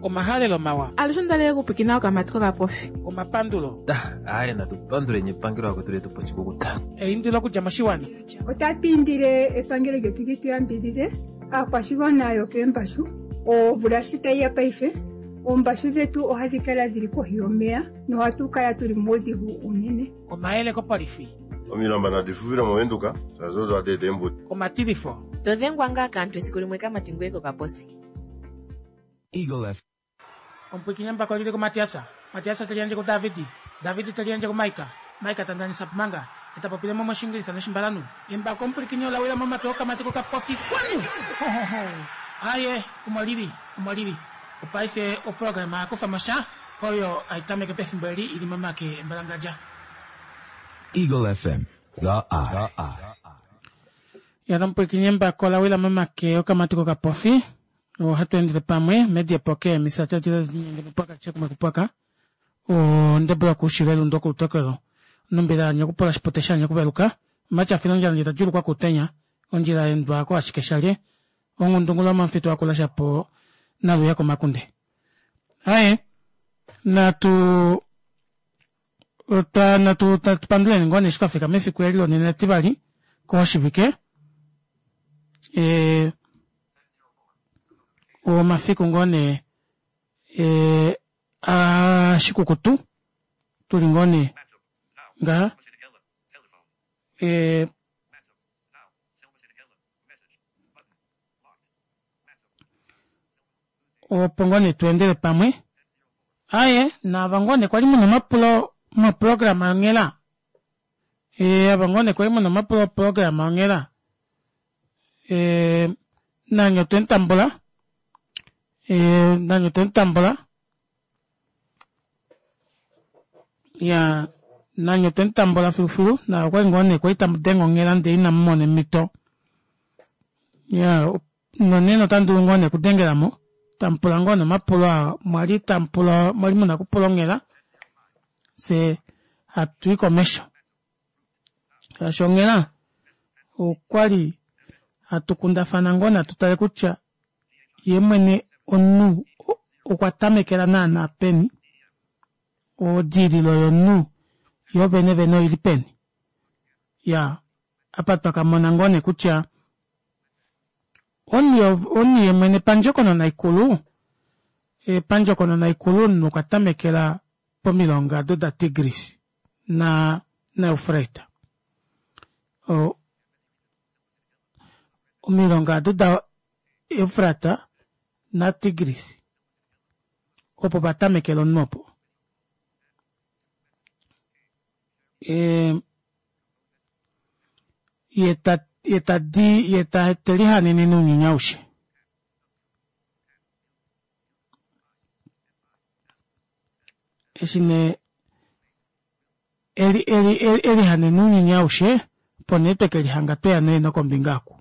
Omahalelo mawa. Alushe onda li okupwikina okamati kokapofi. Omapandulo. Aaye natu panduleni epangelo akwetu letu po oshikukuta. Eindilo okudja moshiwana. Otatu indile epangelo lyetu li tu yambidhidhe aakwashigwana yokeembashu. Omvula shi tayi ya paife, oombashu dhetu ohadhi kala dhili kohi yomeya nohatu kala tuli muudhigu uunene. Omayele kopolifi. Omilamba nadi fufile mOvenduka, shaashi odo hadi eta eembudi. Omatilifo. To dhengwa ngaa kaantu esiku limwe kamati ngoye kokaposi. Eagle F. Omupwiikini embako lili kuMatias, Matias te liyandje kuDavid, David te liyandje kuMaika, Maika ta ndanisa Pumanga, ye ta popile mo mOshiingilisa nOshimbalanhu. Embako omupwilikini ola wila momake okamati kokapofi. Xwanu! Ho, ho, ho! Aaye, omo li li, omo li li. Opaife oprograma ya kufa mo sha, oyo hai tameke pefimbo eli i li momake embalangadja. Eagle FM, the eye. Ya nomupwilikini embako ola wila momake okamati kokapofi. Ohatu endele pamwe mediepoke misati nyenge mupwaka chekumwe kupwaka ondebula kuushilo elundo kulutokelo onumbila yanye okupola shipote shanye okuveluka omatyafilo ondjala ndji tadjuulukwa kuutenya ondjila yendwa ko ashike shalye ongundungula omamufitu akula shapo naluya komakunde aye natu Otwa natu natu panduleni ngoo nee eshi twa fika mefiku eli lonena etivali koshivike e, omafiku ngoo nee e, ashikukutu tuli ngoo nee ngaha e, opo ngoo nee tu endele pamwe aye naava ngoo nee kwali muna omapulo moprograma yonghela ee ava ngoo nee kwali muna omapulo moprograma yonghela ee nanye otwe mutambula ee nanye otwe mutambula ya nanye otwe mutambula filufilu na okwali ngoo nee kwali tamu denge onghela ndee inamu mona omhito ya Nonena otamu dulu ngoo nee okudengela mo, tamu pula ngoo nee omapulo aa mwa li tamu pula, mwa li mu na okupula onghela, fye hatu i komesho. Shaashi onghela okwa li hatu kundafana ngoo nee hatu tale kutya ye mwene omunhu okwa tamekela naanaa peni, odiililo yomunhu yo vene vene oili peni. Ya, apa twa ka mona ngoo nee kutya Omunhu ye mwene pandjokonona ikulu, pandjokonona ikulu omunhu okwa tamekela pomilonga odo daTigris na naEufrate. Omilonga odo daEufrat naTigris opo pa tamekela omunhu opo. Ye ta ye ta di ye ta te lihanene nounyuni aushe. Eshi nee eli eli eli hanene ounyuni aushe, opo nee twe ke lihanga tweya nee nokombinga aku.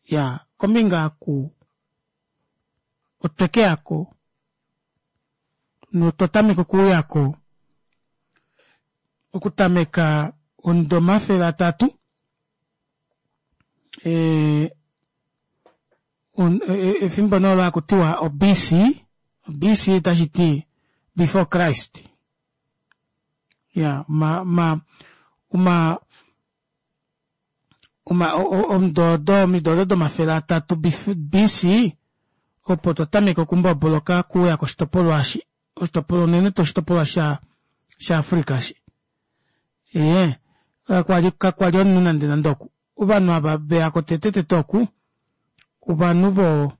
Ya, kombinga aku otwe ke ya ko notwa tameka okuuya ko okutameka omudo 300 e, efimbo nee olo haku tiwa o-BC, BC otashi ti before Christ. Ya, ma, ma, uma, uma, omudo odo, omido odo domafele atatu BC, opo twa tameka okumboboloka kuuya koshitopolwa eshi, oshitopolwa unene tuu oshitopolwa sha, shaAfrica eshi. Ee, kakwa li, kakwa li omunhu nande nande oku. Ovanhu ava ve ya ko tete tete oku, ovanhu vo,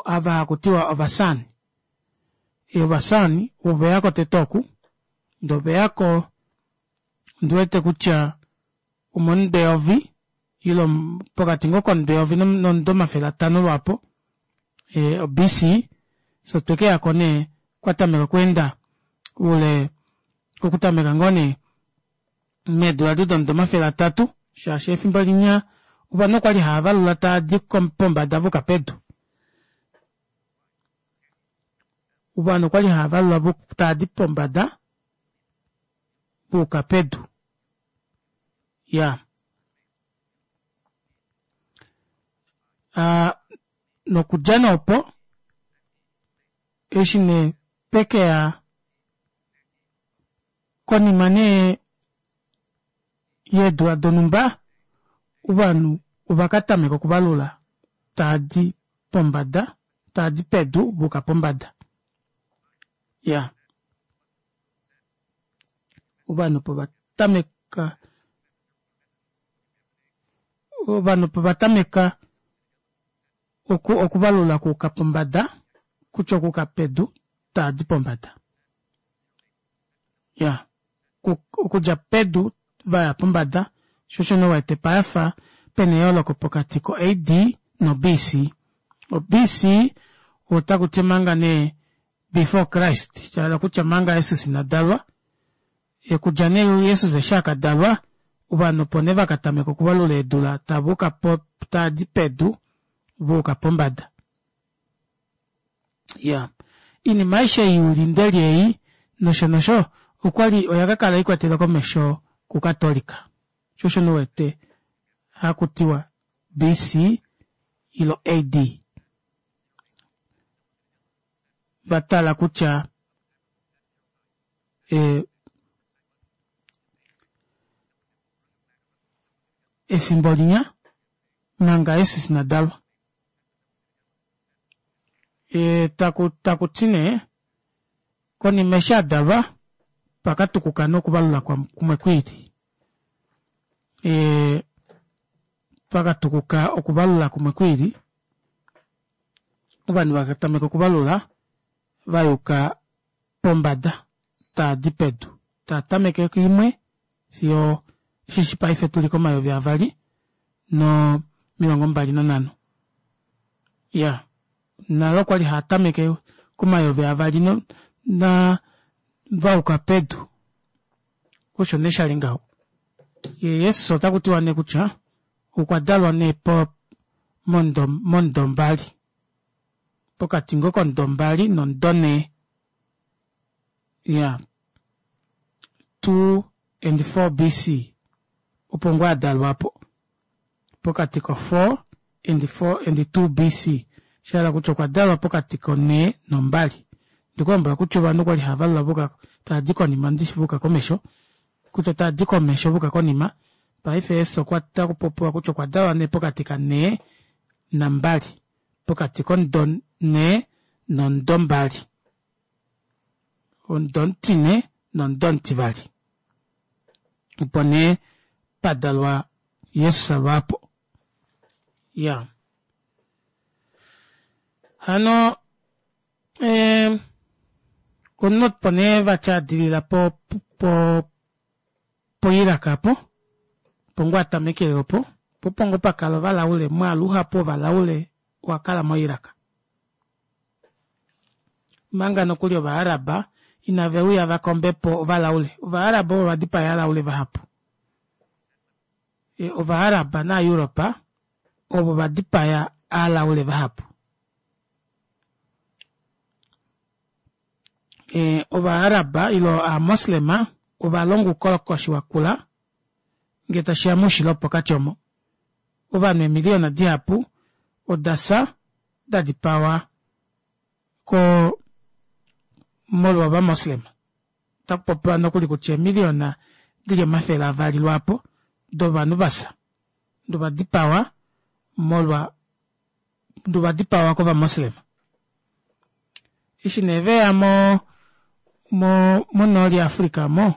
ava haku tiwa Ovasan. E, Ovasan ove ya ko tete oku, ndee ove ya ko, ondi wete kutya omomudo eyovi, ile pokati ngoo komudo eyovi nomudo 500 lwaapo, e, o-BC, so twe ke ya ko nee, kwa tameka okweenda oule, okutameka ngoo nee meedula ado domudo 300, shaashi efimbo linya ovanhu okwa li hava valula taa di pombada va uka pedu. Ovanhu okwa li hava valula taa di pombada va uka pedu. Ya. Nokudja nee opo, eshi nee pekeya konima nee yeedula donhumba, ovanhu ova ka tameka okuvalula taadi pombada, taadi pedu va yuka pombada. Iyaa. Ovanhu opo va tameka, ovanhu opo va tameka oku okuvalula okuuka pombada kutya okuuka pedu taadi pombada. Ya. Okudja pedu vaya pombada sho osho nee uwete payafa pena eyooloko pokati ko AD no BC. O BC otaku ti omanga nee before Christ, sha hala okutya omanga Jesus ina dalwa. Okudja nee Jesus eshi a ka dalwa, ovanhu opo nee va ka tameka okuvalula eedula tava uka po, tava di pedu va uka pombada. Ya, inima aishe ei youlindeli ei nosho nosho okwa li oya ka kala ikwatelwa komesho kuKatolika. Sho osho nee u wete haku tiwa BC ilo AD. Va tala kutya e, efimbo linya manga Jesus ina dalwa. E, taku, taku ti nee, konima eshi a dalwa, pa ka tukuka nee okuvalula kumwe kwiili. E, pa ka tukuka okuvalula kumwe kwiili, ovanhu va tameka okuvalula va yuka pombada taa di pedu, taa tameke imwe fiyo osheshi paife tu li komayovi avali no 25. Ya, nale okwa li haa tameke komayovi avali no, na va yuka pedu. Osho nee sha li ngaho. Ye Jesus otaku tiwa nee kutya okwa dalwa nee po mondo, momudo mbali. Pokati ngoo komudo mbali nomudo nhee. Ya, 2 and 4 BC, opo ngoo a dalwa po. Pokati ko 4 and 4 and 2 BC, sha hala kutya okwa dalwa pokati konhee nombali. Ndi ku lombwela kutya ovanhu okwa li hava valula va yuka, tava di konima ndishi va yuka komesho, kutya otava di komesho va yuka konima. Paife Jesus okwa taku popiwa kutya okwa dalwa nee pokati kanhee nambali, pokati komudo nhee nomudo mbali. Omudo omutine nomudo omutivali. Opo nee pa dalwa Jesus lwaapo. Ya. Hano eh, omunhu opo nee vati a dilila po, po, poIraq apo, opo ngoo a tamekele opo, po opo ngoo pa kala ovalaule, omwaalu uhapu wovalaule owa kala moIraq. Omanga nokuli Ovaarab inave uya va kombe po ovalaule. Ovaarab ovo va dipaya alaule vahapu. Ovaarab nAaeuropa ovo va dipaya aalaule vahapu. Ovaarab ile Aamoslema ova longa oukolokoshi wa kula ngee tashi ya moushilo wopokati omo. Ovanhu eemiliyona dihapu oda fya da dipawa ko molwa Ovamoslema. Otaku popiwa nokuli kutya eemiliyona di li 200 lwaapo dovanhu va fya nova dipawa molwa nova dipawa kOvamoslema. Eshi nee ve ya mo mo monooli yaAfrica mo,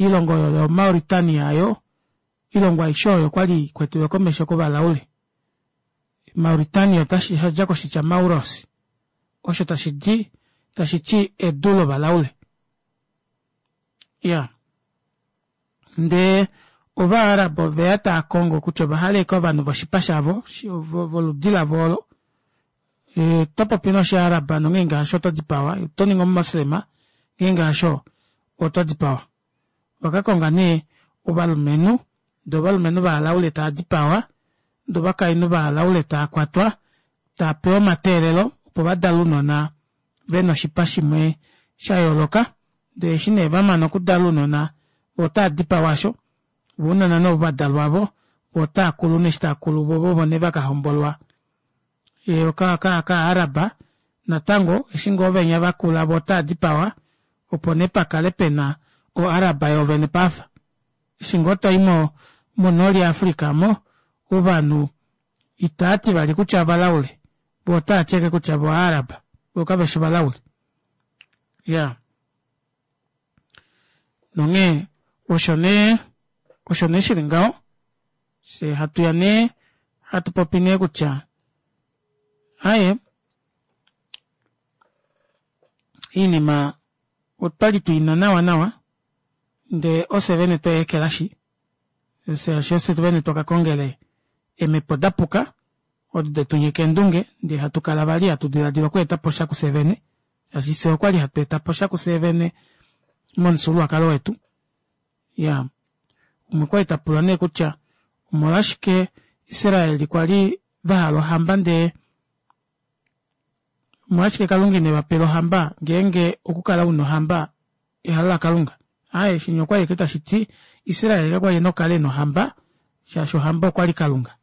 oilongo oyo yoMauritania oyo, oilongo aishe oyo okwa li i kwetelwe komesho kovalaule. Mauritania otashi sha dja koshitya Mauros, osho tashi di tashi ti edu lovalaule. Ya. Ndee Ovaarab ove ya tava kongo kutya ova hala ashike ovanhu voshipa shavo, voludi lavo olo. Oto popi nOshiarab nongeenge hasho oto dipawa, oto ningi Omumoslema, ngeenge hasho oto dipawa. Ova ka konga nee ovalumenhu, ndee ovalumenhu vaalaule tava dipawa, ndee ovakainhu vaalaule tava kwatwa, tava pewa omateelelo opo va dale ounona ve na oshipa shimwe sha yooloka, ndele eshi nee va mana okudala ounona vo otava dipawa asho, vo ounona nee ovo va dalwa vo, vo otava kulu neshi tava kulu vo ovo nee va ka hombolwa. Ye oka ka ka Araba natango eshi ngoo venya vakula vo otaa dipawa opo nee pakale pena o Araba yoovene paafa. Eshi ngoo toi mo monooli yaAfrica mo ovanhu itaa ti vali kutya ovalaule vo otaa ti ashike kutya vo Aaraba vo kaveshi ovalaule. Iyaa. Nonghee osho nee osho nee shili ngaho. Fye hatu ya nee hatu popi nee kutya aye iinima otwali tuina nawa nawa ndee ofye vene tweyi ekelashi shaashi ofye vene twaka kongele eemhepo dapuka odo detu nyeka eendunge ndee hatu kala vali hatu diladila okweeta po sha kufye vene shaashi fye okwali hatu eta po sha kufye vene momufyuululwakalo wetu. Ya, umwe kwa li ta pula nee kutya omolwashike Israel kwa li va hala ohamba ndee omolwashike Kalunga ine va pela ohamba ngeenge okukala una ohamba ehalo laKalunga? Aaye, shinya okwa li ashike tashi ti Israel kakwa li e na okukala e na ohamba shaashi ohamba okwa li Kalunga.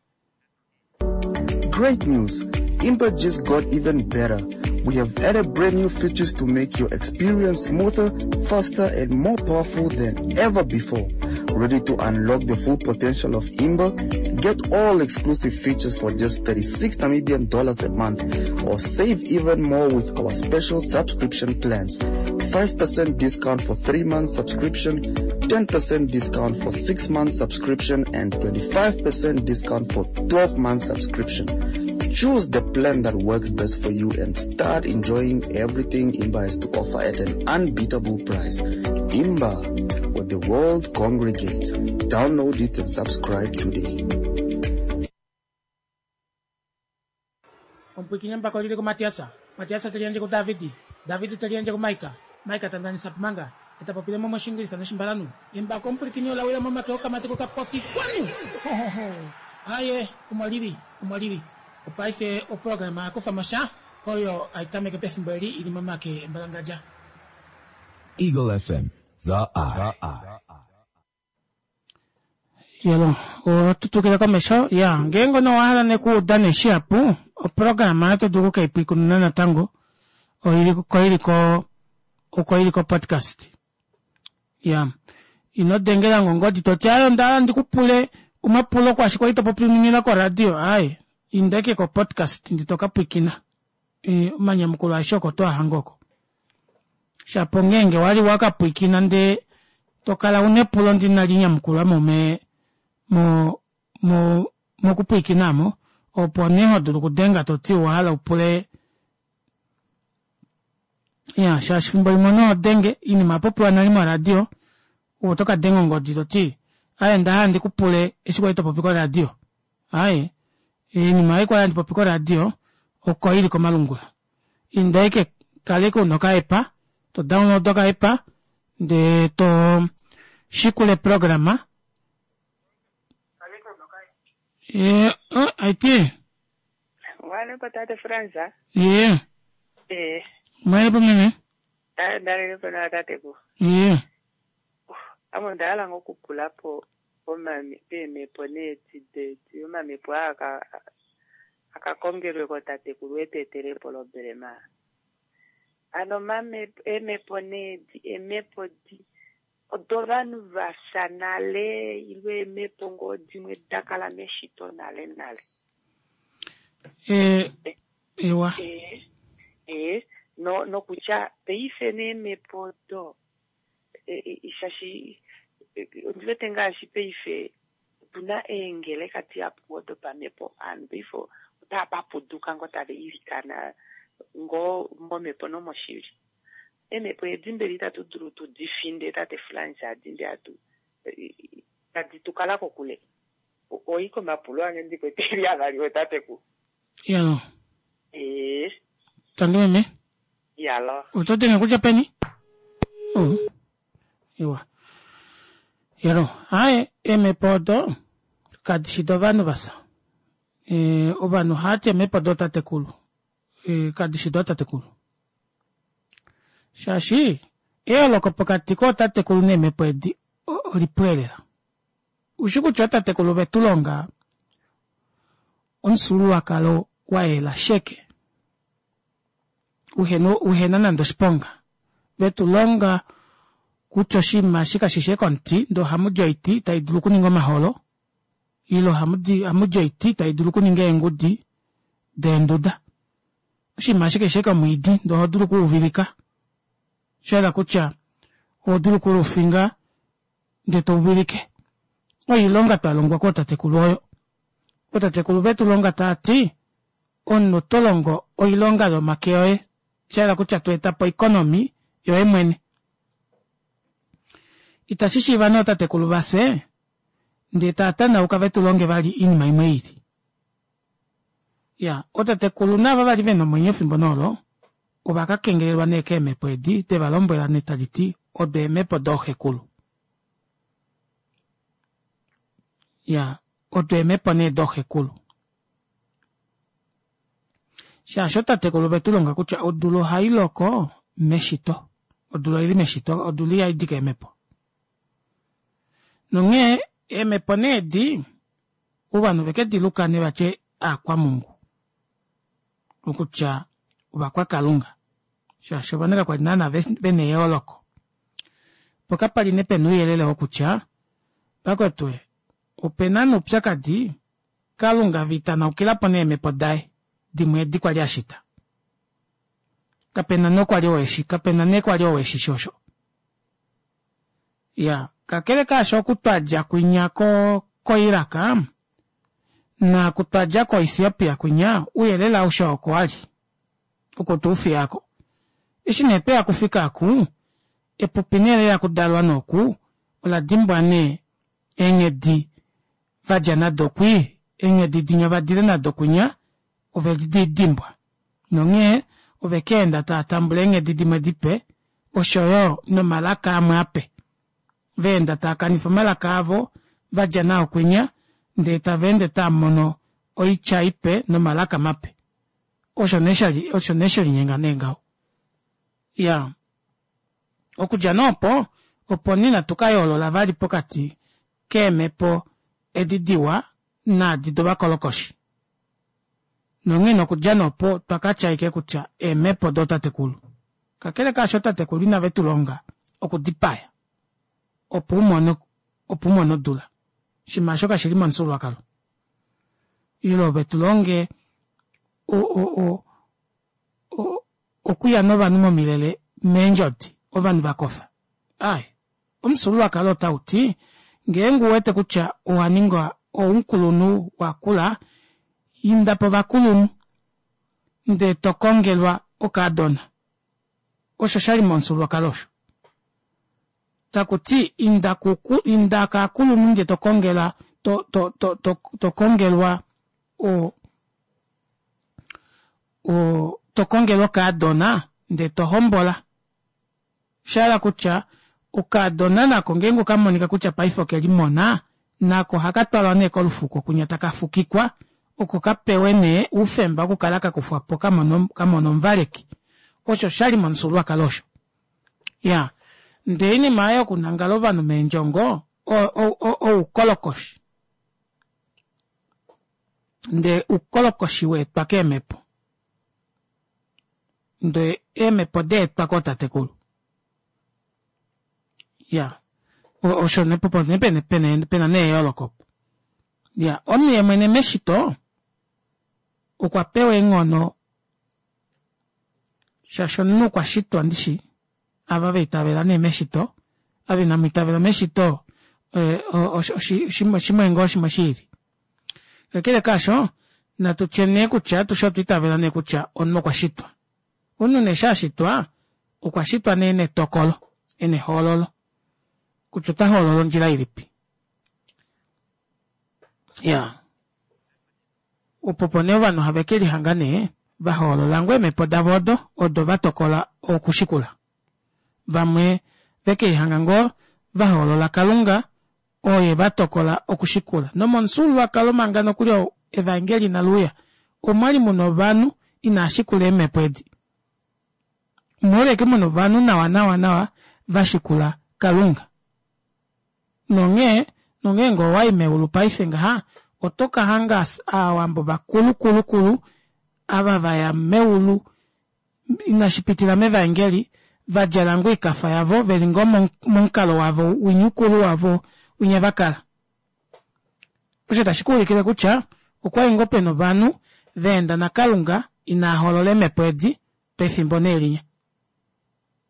Great news! Imba just got even better. We have added brand new features to make your experience smoother, faster, and more powerful than ever before. Ready to unlock the full potential of Imba? Get all exclusive features for just 36 Namibian dollars a month or save even more with our special subscription plans. 5% discount for 3 months subscription, 10% discount for 6 months subscription, and 25% discount for 12 months subscription. Choose the plan that works best for you and start enjoying everything Imba has to offer at an unbeatable price. Imba, where the world congregates. Download it and subscribe today. Omupwiikini embako oli li kuMatias, Matias te liyandje kuDavid, David te liyandje kuMaika, Maika ta ndanisa Pumanga, e ta popile mo mOshiingilisa nOshimbalanhu. Embako omupwilikini ola wila momake okamati kokapofi kwanu! Hohoho! Aaye, omo li li, omo li li. Opaife oprograma ya kufa mo sha, oyo hai tameke pefimbo eli i li momake embalangadja. Eagle FM, The Eye. Yelo, ohatu twikile komesho. Ya, ngeenge ono owa hala nee okuuda nee shihapu, oprograma oyo oto dulu oku ke i pwiikununa natango. Oi li ko, oko i li ko podcast. Ya, ino dengela nge ongodi to ti, aaye onda hala ndi ku pule omapulo kwaashi kwali to popiminina koradio. Aaye, inda ashike ko podcast ndi to ka pwiikina. Omanyamukulo aeshe oko to a hange oko. Shapo ngeenge wa li wa ka pwiikina ndee to kala u na epulo ndi inali nyamukulwa mo me, mo, mo, mokupwiikina amo, opo nee ho dulu okudenga to ti owa hala u pule. Ya, shaashi fimbo limwe omunhu oho denge, oinima ya popiwa nale moradio, ove oto ka denga ongodi to ti, Aaye, onda hala ndi ku pule eshi kwali to popi koradio. Aaye, oinima ei kwali handi popi koradio, oko i li komalungula. Inda ike kala ike una okaepa, to download okaepa ndee to shikula eprograma. Ye, oh, aiti. Walepo tate Frans. Ye. Eh. Mwalepo meme. Ah, ndalelepo nawa tate ku. Ye. Ame onda hala ngoo okupula po peemhepo needi dedi omamhepo aa aka kongelwe kootatekulu e tu etele epoloblema. Hano eemhepo needi eemhepo di odovanhu va fya nale ile eemhepo ngoo dimwe da kala meshito nale nale. Ewa. Ee, nokutya paife nee eemhepo odo Shaashi ondi wete ngaashi paife otu na eengeleka dihapu dopamhepo, ovanhu paife otava papuduka ngoo tava ilikana ngoo momhepo nomoshili. Eemhepo edi mbela itatu dulu tu di finde tate Frans adi mbela tu tadi tu kala kokule? Oiko omapulo ange ndi kwete eli avali ootateku. Yalo. Ee. Tangi meme. Yalo. Oto denge kudja peni? Oh. Iwa. Yalo. Aye, eemhepo odo kadi shi dovanhu va fya. E, ovanhu ohava ti eemhepo dootatekulu. E, kadi shi dootatekulu. Shaashi eyooloko pokati kootatekulu neemhepo edi olipu elela. Ushi kutya ootatekulu ve tu longa omufyuululwakalo. wa yela sheke uhena nande oshiponga. Vetu longa kutya oshinima eshi kashishi ashike omuti ndee ohamudi oiti tai dulu okuninga omaholo ile ohamudi oiti tai dulu okuninga eengudi deenduda. Oshinima eshi kashi shi ashike omwiidi ndee oho dulu okuuvilika shayela kutya oho dulu okulufinga ndee touvilike. Oilonga twalongwa kootatekulu oyo. Ootatekulu vetu longa taati omunhu oto longo oilonga yomake oye shayela kutya to etapo oeconomy yoye mwene. Itashi shiiva nee ootatekulu vafye ndee tava tanauka vetu longe vali oinima imwe iili. Iyaa, ootatekulu naava vali vena omwenyo efimbo nee olo ova ka kengelelwa nee keemhepo edi deva lombwela nee tadi ti odo eemhepo dooxekulu. Iyaa, odo eemhepo nee dooxekulu. Shaashi ootatekulu vetu longa kutya odula ohai loko meshito, odula oili meshito, odula ihai di keemhepo. Nonghee eemhepo nee edi ovanhu veke di luka nee vatye aakwamungu, okutya ovakwakalunga shaashi ovanhu kakwali naana vena eyooloko. Po kapali nee pena ouyelele wokutya vakwetu opena nee oupyakadi Kalunga va itanaukilapo nee eemhepo daye dimwe edi kwali ashita. Kapena nee kwali oo eshi kapena nee kwali oo eshishi osho. Iya, kakele kaasho oku twa dja kwinya ko koIraq naaku twa dja koEthiopia kwinya, ouyelele aushe oo oko wa li. Oko otwe u fiya ko. Eshi nee tweya kufika aku, epupi nee leya kudalwa nooku, ola dimbwa nee eenghedi va dja nado kwii, eenghedi dinya va dile nado kwinya, ove di dimbwa. Nonghee ove ka enda tava tambula eenghedi dimwe dipe, osho yo nomalaka amwe ape. Va enda tava kanifa omalaka avo va dja nao kwinya, ndee tava ende tava mono oitya ipe nomalaka mape. Osho nee sha li, osho nee she linyenga nee ngaho. Iya. Okudja nee opo, opo nee inatu ka yoolola vali pokati keemhepo edi diwa naadi dovakolokoshi. Nonghee nokudja nee opo otwa ka tya ashike kutya eemhepo dootatekulu. Kakele kaasho ootatekulu inave tu longa okudipaya opo u mone opo u mone odula. Oshinima osho kashi li momufyuululwakalo. Ile ove tu longe o o o o okuya novanhu momilele meendjodi ovanhu va kofa. Aaye. Omufyuululwakalo otau ti ngeenge u wete kutya owa ninga oumukulunhu wa kula, inda povakulunhu ndee to kongelwa okaadona. Osho sha li momufyuululwakalo osho. Taku ti inda kuku, inda kaakulunhu ndee to kongela to to to to to kongelwa o o to kongelwa okaadona ndee to hombola. Osha yela kutya okaadona nako ngeenge oka monika kutya paife oke limona, nako ohaka twalwa nee kolufuko kwinya taka fukikwa oko ka pewe nee oufemba wokukala ka kufwa po ka mone omuvaleki. Osho sha li momufyuululwakalo osho. Iya, ndee oinima oyo yokunangala ovanhu meendjongo oukolokoshi. Ndee oukolokoshi wa etwa keemhepo. Ndee eemhepo da etwa kootatekulu. Ya, osho nee opo nee pena, pena, pena nee eyooloko opo. Ya, omunhu ye mwene meshito okwa pewa eenghono shaashi omunhu okwa shitwa ndishi ava va itavela nee meshito, ava inamu itavela meshito eh, oshimwe ngoo shimwe shiili. Kakele kaasho, natu tye nee kutya atushe otwa itavela nee kutya omunhu okwa shitwa. Omunhu nee eshi a shitwa, okwa shitwa nee netokolo, e na ehoololo kutya ota hoolola ondjila ilipi. Ya. Opo po nee ovanhu have ke lihanga nee va hoolola ngoo eemhepo davo odo, odo va tokola okushikula. Vamwe ve ke lihanga ngoo va hoolola Kalunga oye va tokola okushikula. Nomomufyuululwakalo manga nokuli evaengeli inali uya, omwali muna ovanhu inaa shikula eemhepo edi. Omwali ashike muna ovanhu nawa nawa nawa va shikula Kalunga. Nonghee, nongeenge owa i meulu paife ngaha, oto ka hanga Aawambo vakulu kulu kulu. ava va ya meulu inashi pitila mevaengeli, va djala ngoo oikafa yavo, ve li ngoo momukalo wavo winya ukulu wavo winya va kala. Osho tashi ku ulikile kutya okwa li ngoo pena ovanhu va enda naKalunga inaa holola eemhepo edi pefimbo nee linya.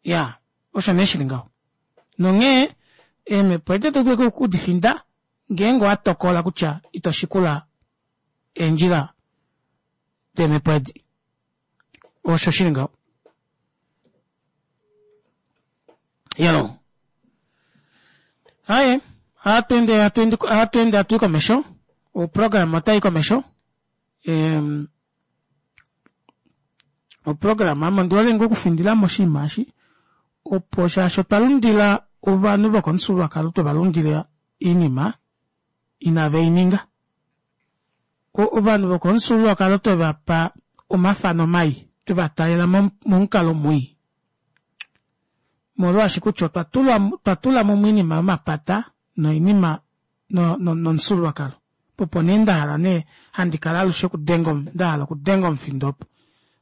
Ya, osho nee shili ngaho. Nonghee eemhepo edi oto dulu oku di finda ngeenge owa tokola kutya ito shikula eendjila deemhepo edi. Osho shili ngaho. Yalo. Aye, ohatu ende hatu ende ohatu ende hatu i komesho. Oprograma otai komesho. Um, oprograma ame ondi hole ngoo okufindila moshinima eshi opo shaashi otwa lundila ovanhu vokomufyuululwakalo twe va lundila oinima inave i ninga. Ovanhu vokomufyuululwakalo twe va pa omafano mai, twe va talela momukalo mwii. Molwaashi kutya otwa tulwa twa tula mumwe oinima yomapata noinima nomufyuululwakalo. Opo nee nda hala nee handi kala alushe okudenga nda hala okudenga omufindo opo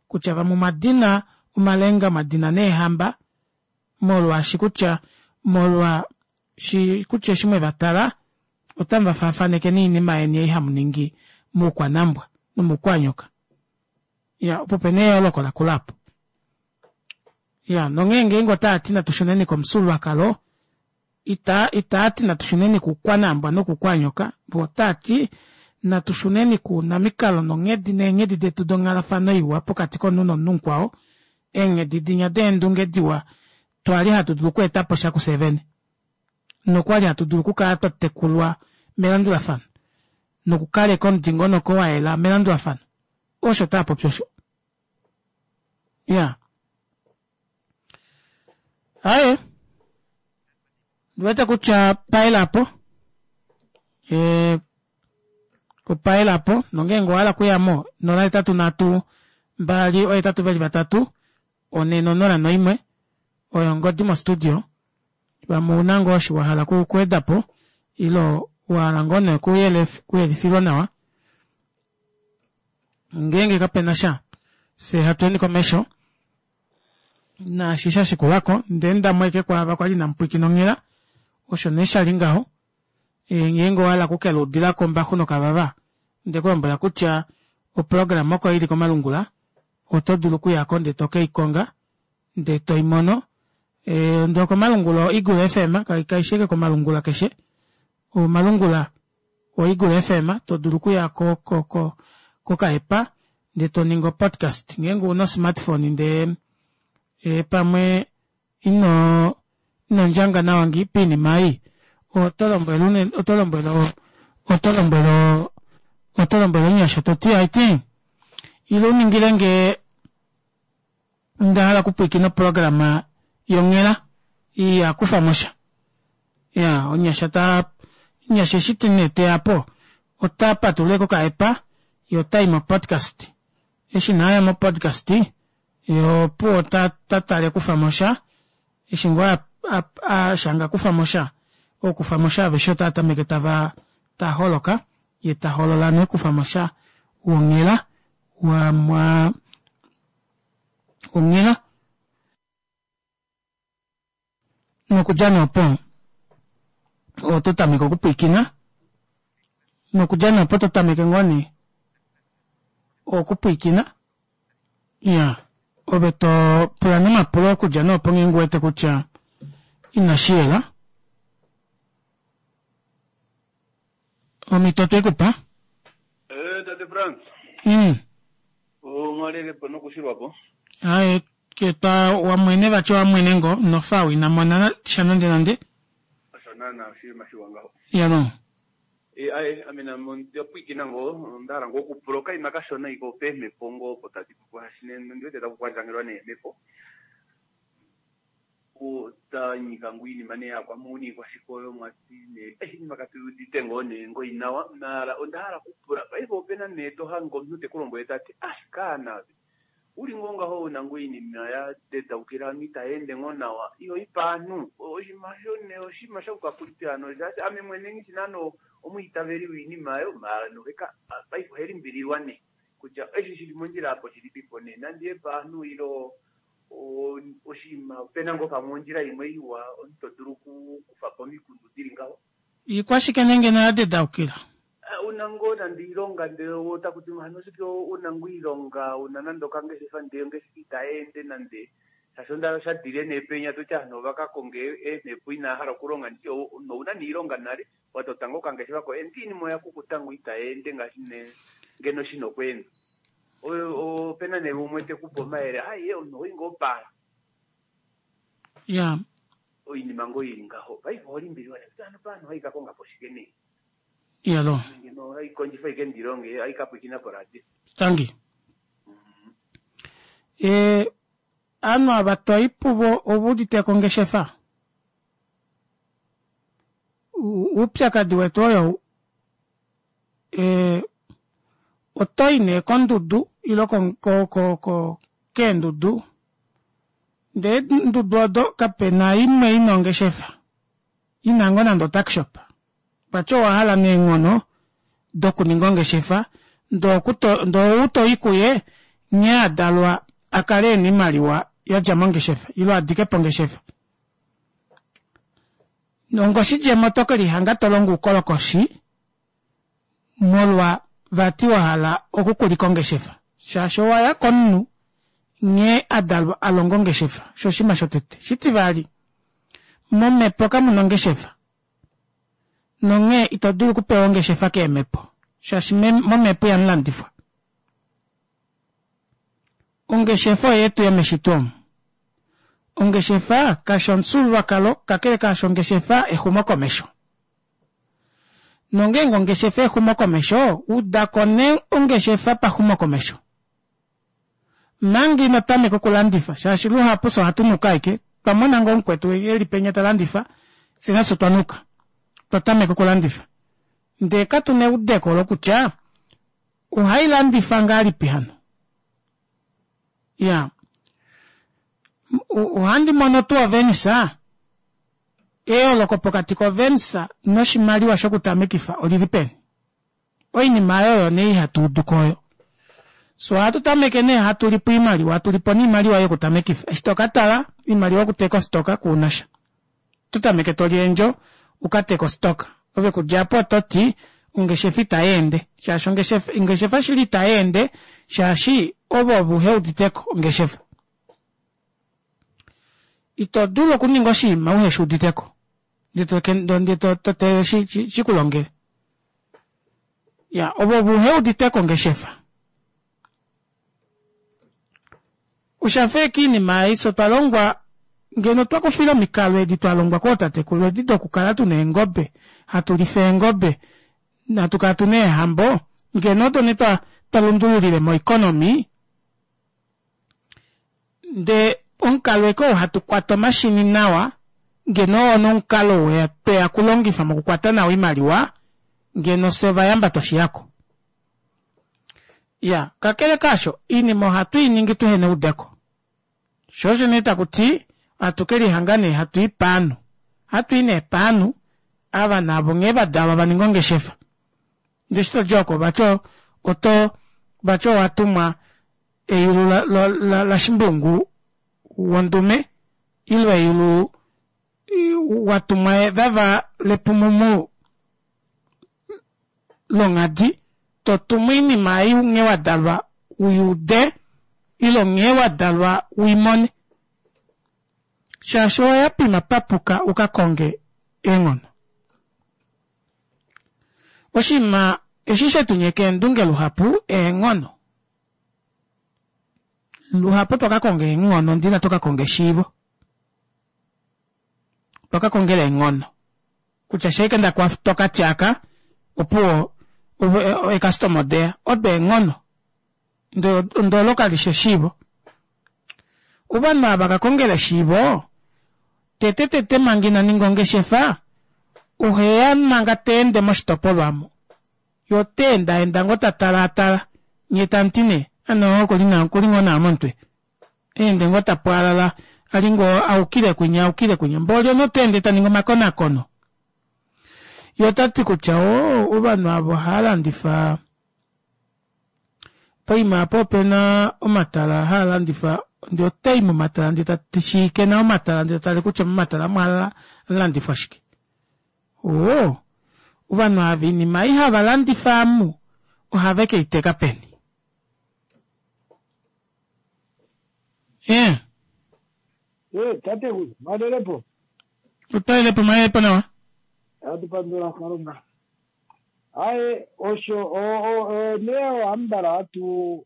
kutya vamwe omadina omalenga omadina neehamba molwaashi kutya molwa shi kutya eshi mwe va tala otamu va faafaneke noinima yeni ei hamu ningi muukwanambwa nomuukwanyoka. Ya, opo pena eyooloko lakula apo. Ya, nonghee ngeenge otaa ti natu shuneni komufyuululwakalo, ita, itaa ti natu shuneni kuukwanambwa nokuukwanyoka, vo otaa ti natu shuneni kuunamikalo nonghedi neenghedi detu donghalafano iwa pokati komunhu nomunhu mukwao, eenghedi dinya deendunge diwa twa li hatu dulu okweeta po sha kufye vene nokwa li hatu dulu okukala twa tekulwa melandulafano nokukaleka omudingonoko wa yela melandulafano. Osho taa popi osho. Ya. Aye. Ndi wete kutya paela po. E, opaela po nongeenge owa hala okuya mo 083 2 823 401 oyo ongodi mostudio vamwe ouna ngoo osho wa hala okuweda po ile wa hala ngoo nee okuyelifilwa nawa ngeenge kapena sha fye hatu eni komesho naashi sha shikulako ndee ndamweke kwaava kwali inamu pwiikina onghela osho nee shali ngaho e, ngeenge owa hala okukeluudilako ombaxu nokavava nde ku lombwela kutya oprograma oko ili komalungula oto dulu okuyako ndee to ke i konga ndee to i mono e, ndee okomalungula oEagle FM kaishi eke komalungula keshe omalungula oEagle FM to dulu okuya ko ko ko kokaepa ndee to ningi opodcast ngeenge una osmartphone ndee e, pamwe ino ino ndjanga nawa ngi piinima ei oto lombwele une oto lombwele oto lombwele oto lombwele omunyasha to ti aiti ile u ningile nge nda hala okupwiikina oprograma yonghela ya kufa mo sha ya omunyasha ta omunyasha eshi ti nee teya po ota patulula kokaepa ye otayi mopodcast eshi nee aya mopodcast Ye opuwo ta, ta tale kufa mo sha, eshi ngoo a, a, a shanga kufa mo sha, ookufa mo sha aveshe otava tameke tava, ta holoka, ye ta holola nee kufa mo sha wonghela, wa mwa, wonghela. Nokudja nee opo oto tameke okupwiikina, nokudja nee opo to tameke ngoo nee okupwiikina, ya ove to pula nomapulo okudja nee opo ngeenge uwete kutya inashi yela. Omhito twe ku pa. Eh, Tate Frans. Omwalele po nokushilwa po. Aye, ketwa wa mwene vati owa mwene ngo nofau ina mona sha nande nande. Osho naana oshinima shiwa ngaho. Yalo. E, aye, ame name onda pwiikina ngoo, onda hala ngoo okupula okaima kashona iko peemhepo ngoo opo tadi popiwa shaashi ondi wete taku kwandjangelwa neemhepo. Ota nyika ngoo iinima nee yakwamuuni iikwashike oyo mwati nee eh, iinima katu yi udite ngoo nee ngoi nawa maala onda hala okupula paife opena nee to hange omuntu te ku lombwele ta ti ah kaanave uli ngoo ngaho una ngoo iinima ya dedaukila hano itayi ende ngoo nawa iho i pa aanhu oshinima osho nee oshinima sha uka kulipi hano shaashi ame mwene nghi shi naana omwiitaveli wiinima oyo maala noheka paife ohe limbililwa nee. Kutya eshi shili mondjila apo shilipipo nee nandi ye paanhu ilo oshinima opena ngoo pamwe ondjila imwe iwa omunhu to dulu oku kufapo omikundu dili ngaho. Iikwashike nee ngeno ya dedaukila? Una ngoo nande oilonga ndele otaku tiwa hano oshike una ngoo oilonga una nande okangeshefa ndele ongeshefa itai ende nande shaashi onda sha dile nee penya toti ovanhu ova ka konga eemhepo inava hala okulonga ndishi nouna nee oilonga nale wa tota ngoo okangeshefa koye ndee oinima oya kukuta ngoo itai ende ngaashi nee ngeno shina okweenda. Opena nee umwe te kupe omayele aiye omunhu ohoyi ngoo paanhu. Ya. Oinima ngoo ili ngaho paife oho limbililwa nee kutya hano paanhu ohai ka konga po shike nee. Iyalo. Ngeno ohai kondjifa ashike ndi longe ohai ka pwiikina koradio. Tangi. E, aanhu ava to i puvo ove udite ko ongeshefa? Uupyakadi wetu oyo e, oto i nee kondudu ilo keendudu ndee eendudu odo kape na imwe ina ongeshefa ina ngoo nande otuckshop vati owa hala neenghono dokuninga ongeshefa ndee ou to i kuye nghee a dalwa a kale ena oimaliwa ya dja mongeshefa ile a dike po ongeshefa. Ongoshidjemo oto ke lihanga to longo oukolokoshi molwa vati wa hala okukulika ongeshefa shaashi owa ya komunhu nghee a dalwa a longa ongeshefa sho oshinima shotete. Shitivali, momhepo kamu na ongeshefa nonghee ito dulu okupewa ongeshefa keemhepo shaashi momhepo ihamu landifwa. Ongeshefa oyetu yomeshito omu. Ongeshefa kashi omufyuululwakalo kakele kaasho ongeshefa exumokomesho. Nongeenge ongeshefa exumokomesho, uda ko nee ongeshefa paxumokomesho. Manga ino tameka okulandifa, shaashi luhapu fye ohatu nuka ashike, twa mona ngoo mukwetu e li penya ta landifa, fye nafye otwa nuka, twa tameka okulandifa. Ndee katu na eudeko lokutya ohai landifa ngahelipi hano. Ya, ohandi mono tuu ovenisa, eyooloko pokati kovenisa noshimaliwa shokutamekifa oli li peni? Oinima oyo oyo nee ihatu udu ko oyo. Fye ohatu tameke nee hatu li po oimaliwa, hatu li po noimaliwa yokutamekifa. Eshi to ka tala, oimaliwa yokuteka ositoka ku na sha. Oto tameke to li eendjo u ka teke ositoka. Ove kudja apo oto ti ongeshefa itai ende. Shaashi ongeshefa, ongeshefa shili itai ende shaashi ove ove uhe udite ko ongeshefa. Ito dulu okuninga oshinima uhe shi udite ko. Ndele to to teelele shi, shi ku longele. Ya, ove ove uhe udite ko ongeshefa. Osha fa ashike iinima ei fye otwa longwa ngeno otwa kufile omikalo edi twa longwa kootatekulu edi dokukala tuna eengobe, hatu lifa eengobe, hatu kala tuna eehambo, ngeno odo nee twa twa lundululile moeconomy ndee omukalo ashike oo hatu kwata omashini nawa ngeno oo nomukalo weya tweya kulongifa mokukwata nawa oimaliwa ngeno fye ovayamba twa shiyako. Ya, kakele kaasho, iinima ohatu i ningi tuhe na eudeko. Sho osho nee taku ti, ohatu ke lihanga nee hatu i paanhu. Ohatu i nee paanhu, ava navo nghee va dalwa va ninga ongeshefa. Ndee eshi to di oko vati oto, vati owa tumwa eyulu la, la, la, lashimbungu wondume, ile eyulu wa tumwa evava lepumumu longhadi to tumu oinima ei nghee wa dalwa u i ude ile nghee wa dalwa u i mone. Shaashi owa pima papuka u ka konge eenghono. Oshinima eshi she tu nyeka eendunge luhapu eenghono. Luhapu otwa ka konga eenghono ndele inatu ka konga eshiivo. Otwa ka kongela eenghono. Kutya sha ashike nda kwatwa okati aka, opuwo eekastoma odeya. Odo eenghono. Ndele olo kali shi eshiivo. Ovanhu ava ka kongela eshiivo, tete tete manga ina ninga ongeshefa, oheya manga ta ende moshitopolwa omo. Ye ota endaenda ngoo ta talaatala. Nye tamu ti nee, ano okuli ngoo nawa momutwe? Eende ngoo ta pwaalala a li ngoo a ukile kwinya a ukile kwinya. Mboli omunhu ota ende ta ningi omakonakono. Ye ota ti kutya oo ovanhu ava ohava landifa. Poima apo opena omatala haa landifa ndee otai momatala ndee ta shiikena omatala ndee ta tale kutya momatala omu ohamulandifwa shike. Oo, ovanhu ava oinima ei hava landifa amu ohave keiteka peni? Ee. Ee, tatekulu, malelepo. Otalelepo, malelepo nawa. Ohatu pandula Kalunga. Aye, osho nee ohambala hatu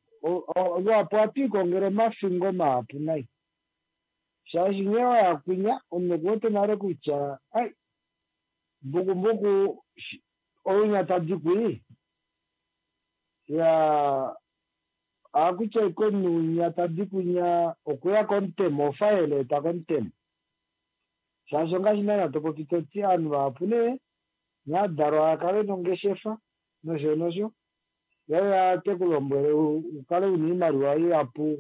luhapu ohatu ikongele omafingo mahapu nai. Shaashi nghee waya kwinya omunhu oku wete nale kutya ai mbukumbuku ounya tadi kwii ya ohakutya ike omunhu winya tadi kwinya okuya komutemo ofayele eta komutemo. Shaashi ongaashi naana to popi to ti ovanhu vahapu nee nghee a dalwa a kale nongeshefa nosho nosho ye oye te ku lombwele u kale u na oimaliwa ihapu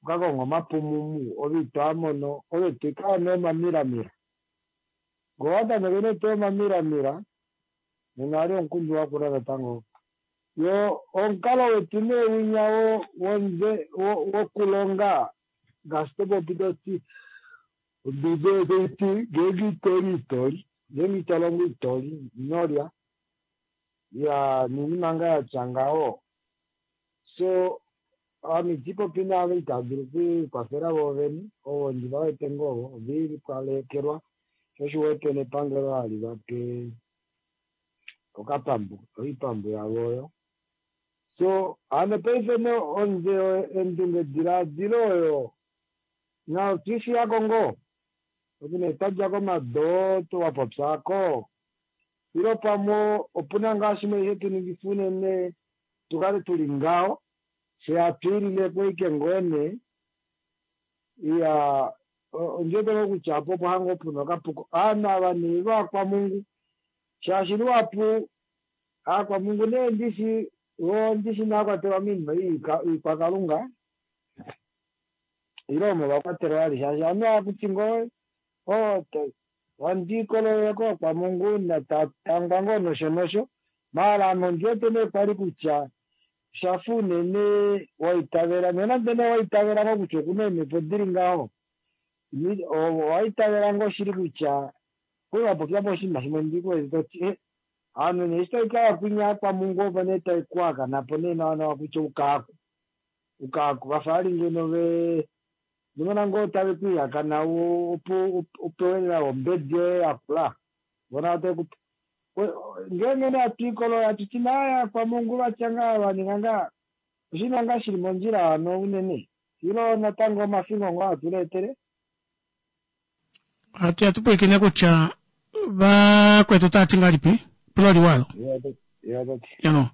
u ka konge omapumumu ove ito a mono ove to kala nee omamilamila. Ngee owa tameke nee toyi omamilamila nena vali omukundu wakula natango. Yo omukalo wetu nee winya wonze wokulonga ngaashi to popi to ti Ombiibeli otai ti, Ngeenge ito li, ito li, ngeenge ito longo, ito li, ino lya. Iya, noinima ngaa ya tya ngaho. So, ame iti popi naave itava dulu okwiikwafela voovene, ovo ndi va wete ngoo ovo, ove likalekelwa, sho osho u wete nepangelo hali va pe okapambu, oipambu yavo oyo. So, hano paife nee onze endungedilaadilo oyo Na otwishi yako ngoo? Oku nee twa dja komadoo wa popya ako? Ile pamwe opu na ngaa shimwe she tu ningifa unene tu kale tu li ngaho, fye hatu ilile ko ashike ngoo nee? Iya, ondi wete ngoo kutya apa opo hanga opu na okapuko. Ovanhu ava nee vaakwamungu, shaashi luhapu aakwamungu nee ndishi vo ndishi inava kwatelwa moinima ei yoikwakalunga. Ile omo va kwatelwa vali shaashi ovanhu ohava ti ngoo oh ohandi ikolelele kookwamungu ta tangwa ngoo nosho nosho maala ame ondi wete nee kwali kutya oshafa unene wa itavela nonande nee wa itavela ngoo kutya okuna eemhepo dili ngaho owa itavela ngoo shili kutya okwali wa popya po oshinima shimwe ndi kuwete toti eh ovanhu nee eshi taikaya kwinya kwamungu opo nee taikuhakana po nee nawa nawa kutya ukaaku Ukaaku vafa vali ngeno ve nomona ngoo tave ku ihakana opo u pewe lela ombedi yoye yakula vona otave ku ngeenge nee hatu ikolola hatu ti naaya kwamungu vatya ngaa va ninga ngaa oshinima ngaa shili mondjila hano unene ilo natango omafingo ngoo hatu leetele. Ohatu ya tu pwilikine kutya vakwetu otava ti ngahelipi epulo liwa olo. Yano.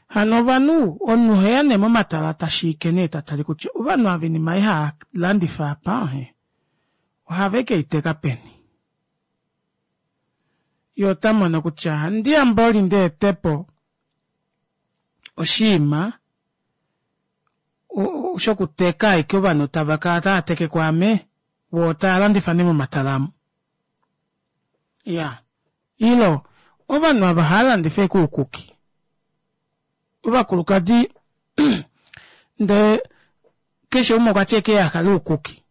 Hano ovanhu omunhu oheya nee momatala ta shiike nee ta tale kutya ovanhu ava oinima ei hava landifa apa ohave ke i teka peni. Ye ota mono kutya handi ya mboli ndi ete po oshinima shokuteka aike ovanhu tava kala tava teke kwaame vo tava landifa nee momatala amu. Ya. Ilo ovanhu ava hava landifa ashike oukuki. Ovakulukadi ndee keshe umwe okwa ti eke a hala oukuki.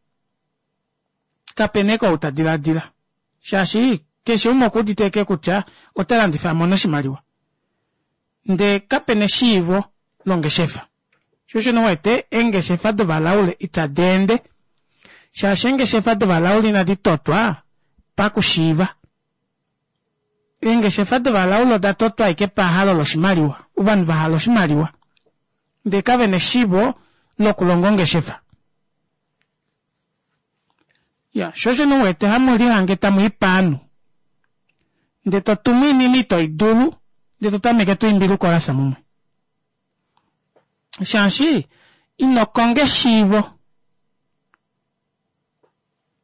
Kape na eke ou ta diladila. Shaashi keshe umwe okuudite eke kutya ota landifa a mone oshimaliwa. Ndee kape na eshiivo longeshefa. Sho osho nee wete eengeshefa dovalaule itadi ende shaashi eengeshefa dovalaule inadi totwa pakushiiva. Eengeshefa dovalaule oda totwa ashike pahalo loshimaliwa, ovanhu va hala oshimaliwa ndee kave na eshiivo lokulonga ongeshefa. Ya, sho osho nee wete hamu lihange tamu i paanhu ndee to tumu oinima ito i dulu ndee to tameke to imbile ukolasa mumwe. Shaashi ino konga eshiivo.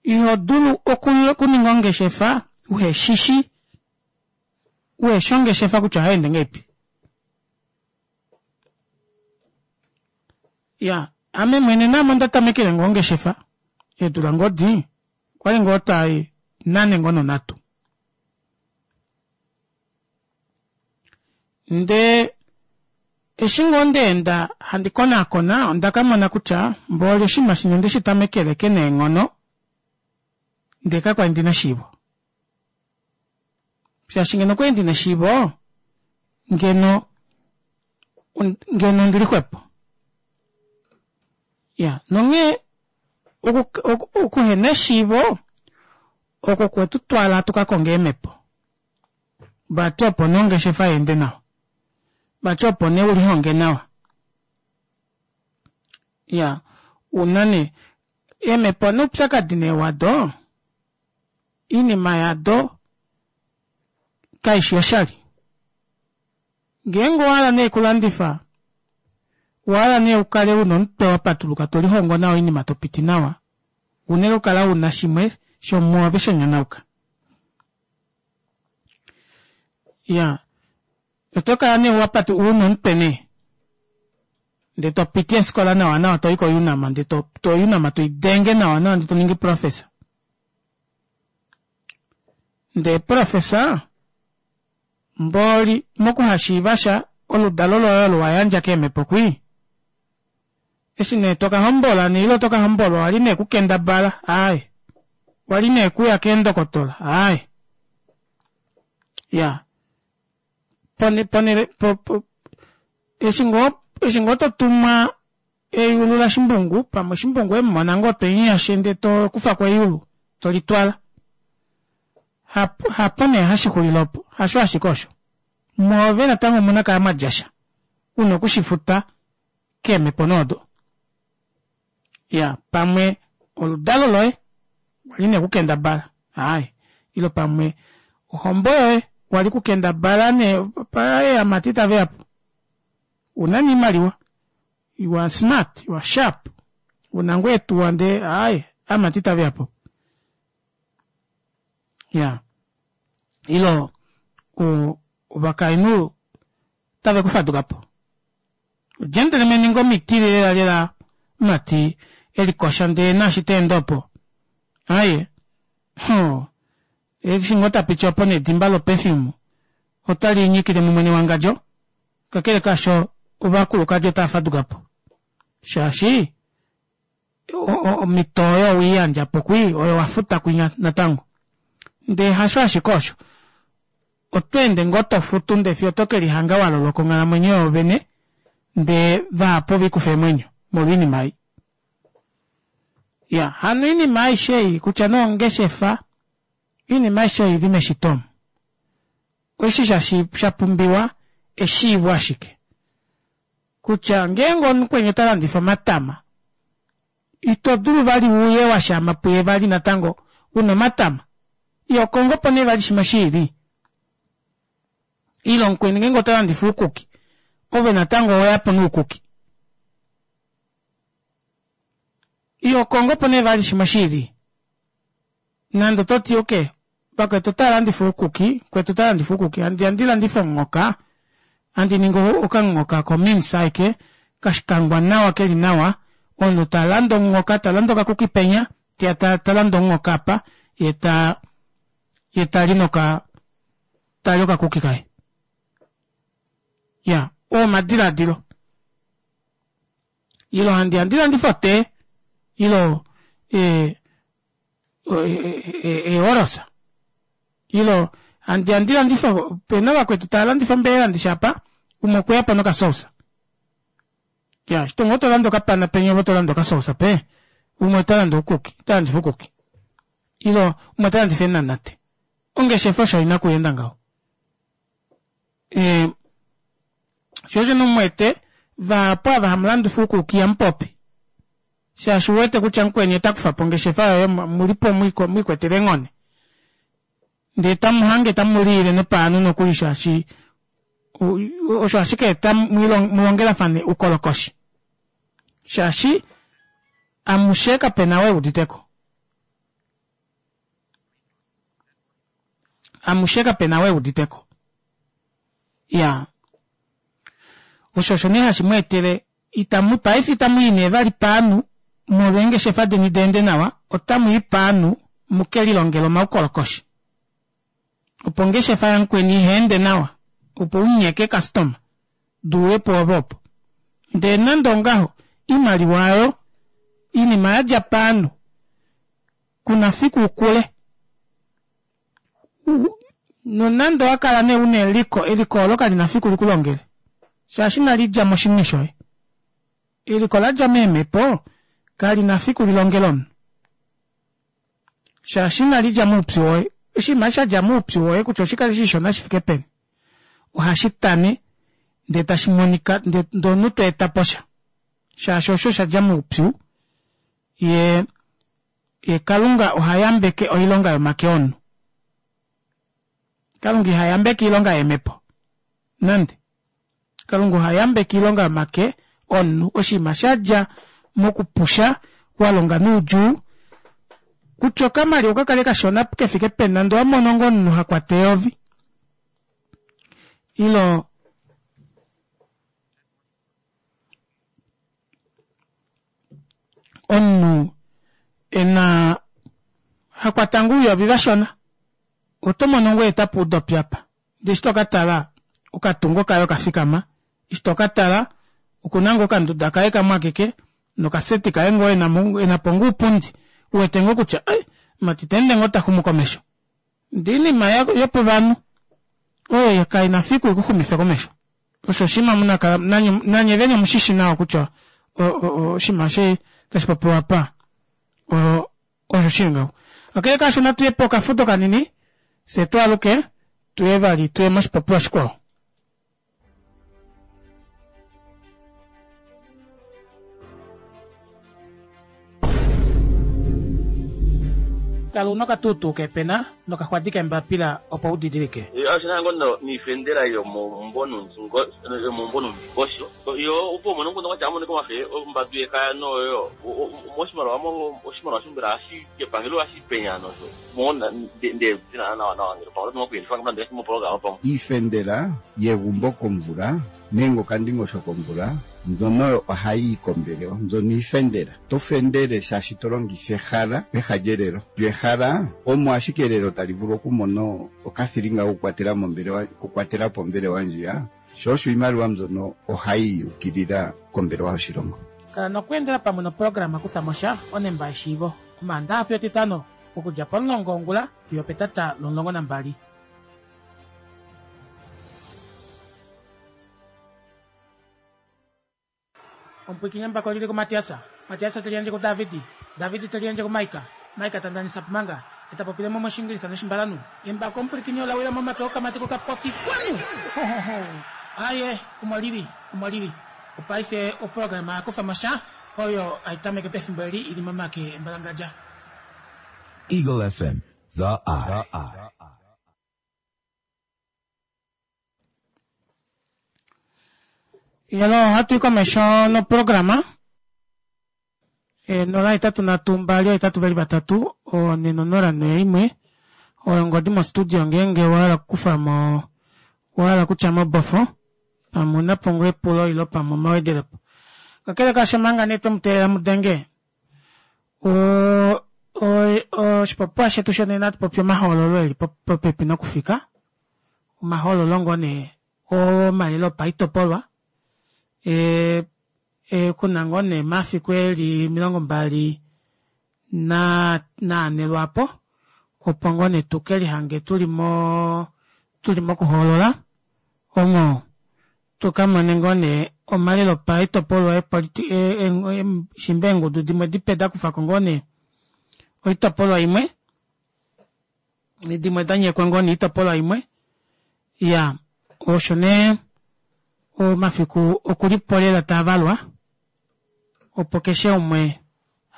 Iho dulu okuninga ongeshefa uhe shi shi, uhe shi ongeshefa kutya ohayi ende ngahelipi. Ya, ame mwene naame onda tamekele ngoo ongeshefa eedula ngoo di, okwali ngoo tai nane ngoo nonhatu. Ndee. Eshi ngoo nda enda handi konaakona onda ka mona kutya mbooli oshinima shino onde shi tamekeleke neenghono ndee kakwali ndina eshiivo. Shaashi ngeno okwali ndina eshiivo ngeno ngeno ondili xwepo. Ya nonghee okuhena eshiivo oko kwetu twala tu ka konge eemhepo. Vati opo nee ongeshefa yeende nawa. Vati opo nee ulihonge nawa. Ya una nee eemhepo noupyakadi nee wado iinima yado kaishi yoshali. Ngeenge owahala nee okulandifa, owahala nee ukale una omutwe wapatuluka tolihongo nawa oinima topiti nawa, ouna okukala una shimwe shomwoove shanyonauka. Iyaa, oto kala nee wapatu una omutwe nee ndee topiti eefikola nawa nawa toyi ko UNAM ndee to to UNAM toi denge nawa nawa ndee toningi professor. Ndee professor Mboli mokuhashiiva sha, oludalo loye olo wa yandja keemhepo kwii. Eshi nee to ka hombola nee ile oto ka hombolwa owa li nee kukendabala, aaye. Wa li nee kuya keendokotola, aaye. Ya. Pone, ponele, po, po, eshi ngoo, eshi ngoo to tumwa eyulu lashimbungu, pamwe shimbungu we mu mona ngoo to inyashe ndee to kufa ko eyulu, to li twala. Hapo, hapo nee hashi xulile opo. Hasho ashike osho. Mwoove natango omuna kala mwa dja sha. Una oku shi futa keemhepo nee odo. Ya, pamwe oludalo loye, wali nee kukendabala, aaye. Ile pamwe ohombo yoye, wali kukendabala nee, pa eemhati tave ya po. Una nee oimaliwa. You are smart, you are sharp. Una ngoo eetuwa ndee aaye, aamati tave ya po. Ya. Ile ovakainhu tave ku faduka po. Gentleman ngoo mitili lela lela mati elikosha ndee naashi ta ende opo. Aaye. Hoo. Eshi ngoo ta piti opo nedimba lo perfume otali nyikile mumwene wangadjo. Kakele kaasho ovakulukadi otava faduka po. Shaashi omhito oyo we i yandja po kwii oyo wa futa kwinya natango. Ndee hasho ashike osho. Oto ende ngoo to futu ndee fiyo oto ke lihanga wa loloka onghalamwenyo yoovene ndee vahapu ove ikufa eemwenyo molwa oinima ei. Ya, hano oinima aishe ei kutya nee ongeshefa, oinima aishe oi li meshito omu. Eshi sha pumbiwa eshiivo ashike. Kutya ngeenge omukweni ota landifa omatama, ito dulu vali uye wa shaama puye vali natango una omatama. Iho kongo po nee vali shimwe shi ili. Ile omukweni ngeenge ota landifa uukuki, ove natango oweya po noukuki. Iho kongo po nee vali shimwe shi ili. Nande oto ti okay, vakwetu otava landifa uukuki, kwetu ota landifa uukuki, handi handi landifa omunghoka, handi ningi okamunghoka komince aike, kashikangwa nawa keli nawa, omunhu ta lande omunghoka, ta lande okakuki penya, teya ta ta lande omunghoka apa, ye ta ye ta li noka ta li okakuki kaye. Ya, oo omadiladilo. Ilo handi handi landifa otee, ilo e eeholosa ilo handi handi landifa opena vakwetu tava landifa ombelela ndishi apa umwe okweya po nokasousa ya shitongo oto landa okapana penya ove oto landa okasousa pe umwe ota landa oukuki ota landifa oukuki ilo umwe ota landifa eenanate ongeshefa osho ina kuenda ngaho e, sho osho nomwete vahapu ava hamu landifa uukuki ihamu popi Shaashi u wete kutya mukweni ota kufa po ongeshefa yoye mu li po mu ikwetele eenghone. Ndee tamu hange tamu liile nopaanhu nokuli shaashi osho ashike eta mu longelafane oukolokoshi. Shaashi amushe kape na ou e udite ko. Amushe kape na ou e udite ko. Iyaa. Osho osho nee hashi mu etele Itamu, paife itamu i nee vali paanhu molweengeshefa deni da ende nawa, otamu i paanhu mu ke lilongele omaukolokoshi. Opo ongeshefa yamukweni iha ende nawa, opo u nyeke kastoma. di uye pwoove opo. Ndee nande ongaho, oimaliwa oyo oinima ya dja paanhu, ku na fiku u kule. Nonande owa kala nee u na eliko, eliko olo kali na fiku li ku longele, shaashi inali dja moshimwe shoye. Eliko la dja meemhepo kali na fiku li longele omunhu. Shaashi inali dja moupyu woye. Oshinima sha dja moupyu woye kutya oshikale shishona shi fike peni, ohashi tane ndee tashi monika ndee omunhu to eta po sha. Shaashi osho sha dja moupyu, ye, ye Kalunga oha yambeke oilonga yomake omunhu. Kalunga iha yambeke oilonga yeemhepo. Nande. Kalunga oha yambeke iilonga yomake omunhu, oshinima sha dja mokupusha wa longa noudjuu. Kutya okamaliwa oka kale kashona ke fike peni, nande owa mono ngoo omunhu ha kwata eyovi ilo omunhu e na ha kwata ngoo ouyovi vashona, oto mono ngoo eta po oudopi apa. Ndee eshi to ka tala, okatungo kaye oka fikama. Eshi to ka tala, oku na ngoo okanduda kaye kamwe akeke, nokaseti kaye ngoo e na po ngoo oupundi. U wete ngoo kutya, ai, mumati ta ende ngoo ta xumu komesho. Ndee oinima yopovanhu oyo kai na fiku i ku xumife komesho. Osho oshinima mu na kala, nanye, nanye vene omu shi shi nawa kutya oshinima eshi tashi popiwa apa osho shili ngaho. Kakele kaasho natu ye pokafudo kanini, fye tu aluke tuye vali tuye moshipopiwa shikwao. Kala una okatuutuu keepena nokaxwadi keembapila opo u didilike. Oshina ngo no niifendela yomomumvo nomundingosho. Yo opo mono ngono kwatya amonike omafe ombadu yekaya noyo moshimaliwa mo oshimaliwa sho mbela hashi kepangelo hashi penya nosho mo nde dina nawa nawa ngele pamwe oto kuyelifa nande mo programa pamwe. Iifendela yegumbo komvula nenge okandingosho komvula mbyono oyo ohayi yi kombelewa. Mbyono iifendela. To fendele shaashi to longitha ehala peha lyelelo. Lyo ehala omo ashike elelo tali vulu okumona okathilinga kokukwatela mombelewa, okukwatela po ombelewa ndjiya. Sho osho iimaliwa mbyono ohayi yi ukilila kombelewa yoshilongo. Kala nokweendela pamwe noprograma Kutha mo sha, onemba yeshiivo, Omaandaha fiyo Etitano, okudja pomulongo wongula fiyo opetata lomulongo nambali. Omupwiikini embako oli li kuMatias, Matias te liyandje kuDavid, David te liyandje kuMaika, Maika ta ndanisa pomanga, ye ta popile mo mOshiingilisa nOshimbalanhu. Embako omupwilikini ola wila momake okamati kokapofi. Kwanu! Ho, ho, ho! Aye, omo li li, omo li li. Opaife oprograma ya kufa mo sha, oyo hai tameke pefimbo eli i li momake embalangadja. Eagle FM, The Eye. Yelo ohatu i komesho noprograma 083 283 401 oyo ongodi mostudio ngeenge owa hala okukufa mo owa hala okutya mobofo pamwe una po ngoo epulo ilo pamwe omawedelepo kakele kaasho manga nee twemu teelela mudenge oshipopiwa shetu shonena atu popi omahoololo eli popepi nokufika omahoololo ngoo nee omalelo opaitopolwa e, e, kuna ngoo nee mafiku eli 24 na, lwapo opo ngoo nee tuke lihange tuli mo tuli mokuhoolola omo tu ka mone ngoo nee omalelo opaitopolwa epoliti shimba eengudu dimwe dipe da kufa ko ngoo nee oitopolwa imwe dimwe da nyekwa ngoo nee oitopolwa imwe ya osho nee omafiku okulipo lela taa valwa opo keshe umwe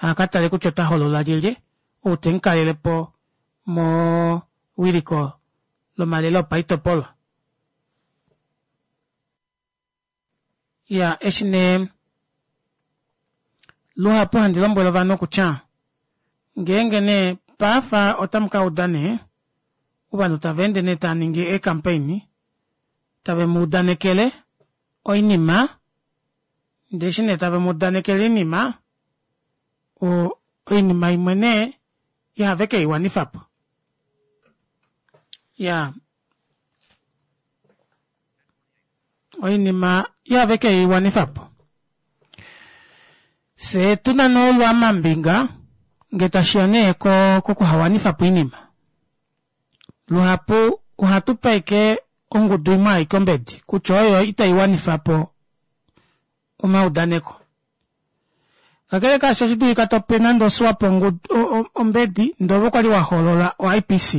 a ka tale kutya ota holola lyelye ou te mu kalele po mowiliko lomalelo opaitopolwa. Ya eshi nee luhapu handi lombwele ovanhu kutya ngeenge nee paafa otamu ka uda nee ovanhu tava ende nee tava ningi eecampaign tave mu udanekele oinima ndee eshi nee tave mu udanekele oinima oinima imwe nee ihave ke i wanifa po. Ya. Oinima ihave ke i wanifa po. Fye tu na nee olwaamambinga ngee tashi ya nee kokuhawanifa po oinima. Luhapu ohatu pe ashike ongudu imwe aike ombedi kutya oyo itai wanifa po omaudaneko. Kakele kaasho otashi dulika to pe nande oSwapo ombedi ndee ove okwa li wa hoolola oIPC